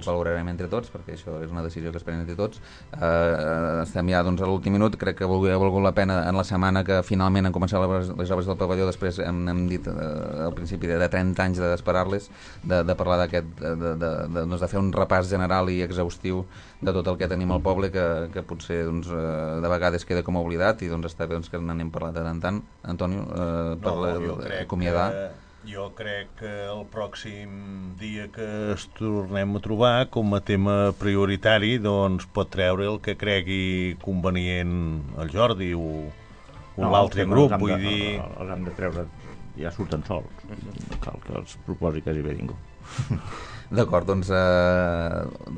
B: valorarem entre tots, perquè això és una decisió que es pren entre tots. Estem ja a l'últim minut, crec que ha valgut la pena en la setmana que finalment han començat les obres del pavelló, després hem dit al principi de 30 anys d'esperar-les, de parlar de fer un repàs general i exhaustiu de tot el que tenim al poble, que potser de vegades queda com oblidat, i està bé que n'anem parlant de tant en tant. Antonio, per acomiadar.
F: Jo crec que el pròxim dia que es tornem a trobar com a tema prioritari pot treure el que cregui convenient el Jordi o l'altre grup, vull dir...
C: Els hem de treure, ja surten sols, no cal que els proposi quasi bé ningú.
B: D'acord,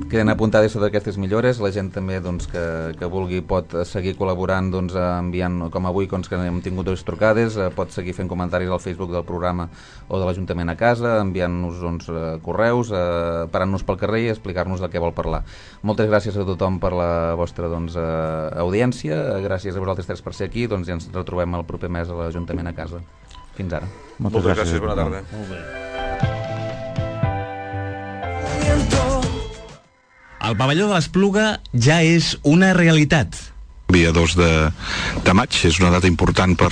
B: queden apuntades sobre aquestes millores. La gent també que vulgui pot seguir col·laborant enviant, com avui que hem tingut 2 trucades, pot seguir fent comentaris al Facebook del programa o de l'Ajuntament a casa, enviant-nos correus, parant-nos pel carrer i explicar-nos de què vol parlar. Moltes gràcies a tothom per la vostra audiència, gràcies a vosaltres 3 per ser aquí, i ens retrobem el proper mes a l'Ajuntament a casa. Fins ara.
M: Moltes gràcies, bona tarda.
F: Molt bé.
I: El pavelló de l'Espluga ja és una realitat.
N: Dia 2 de maig és una data important per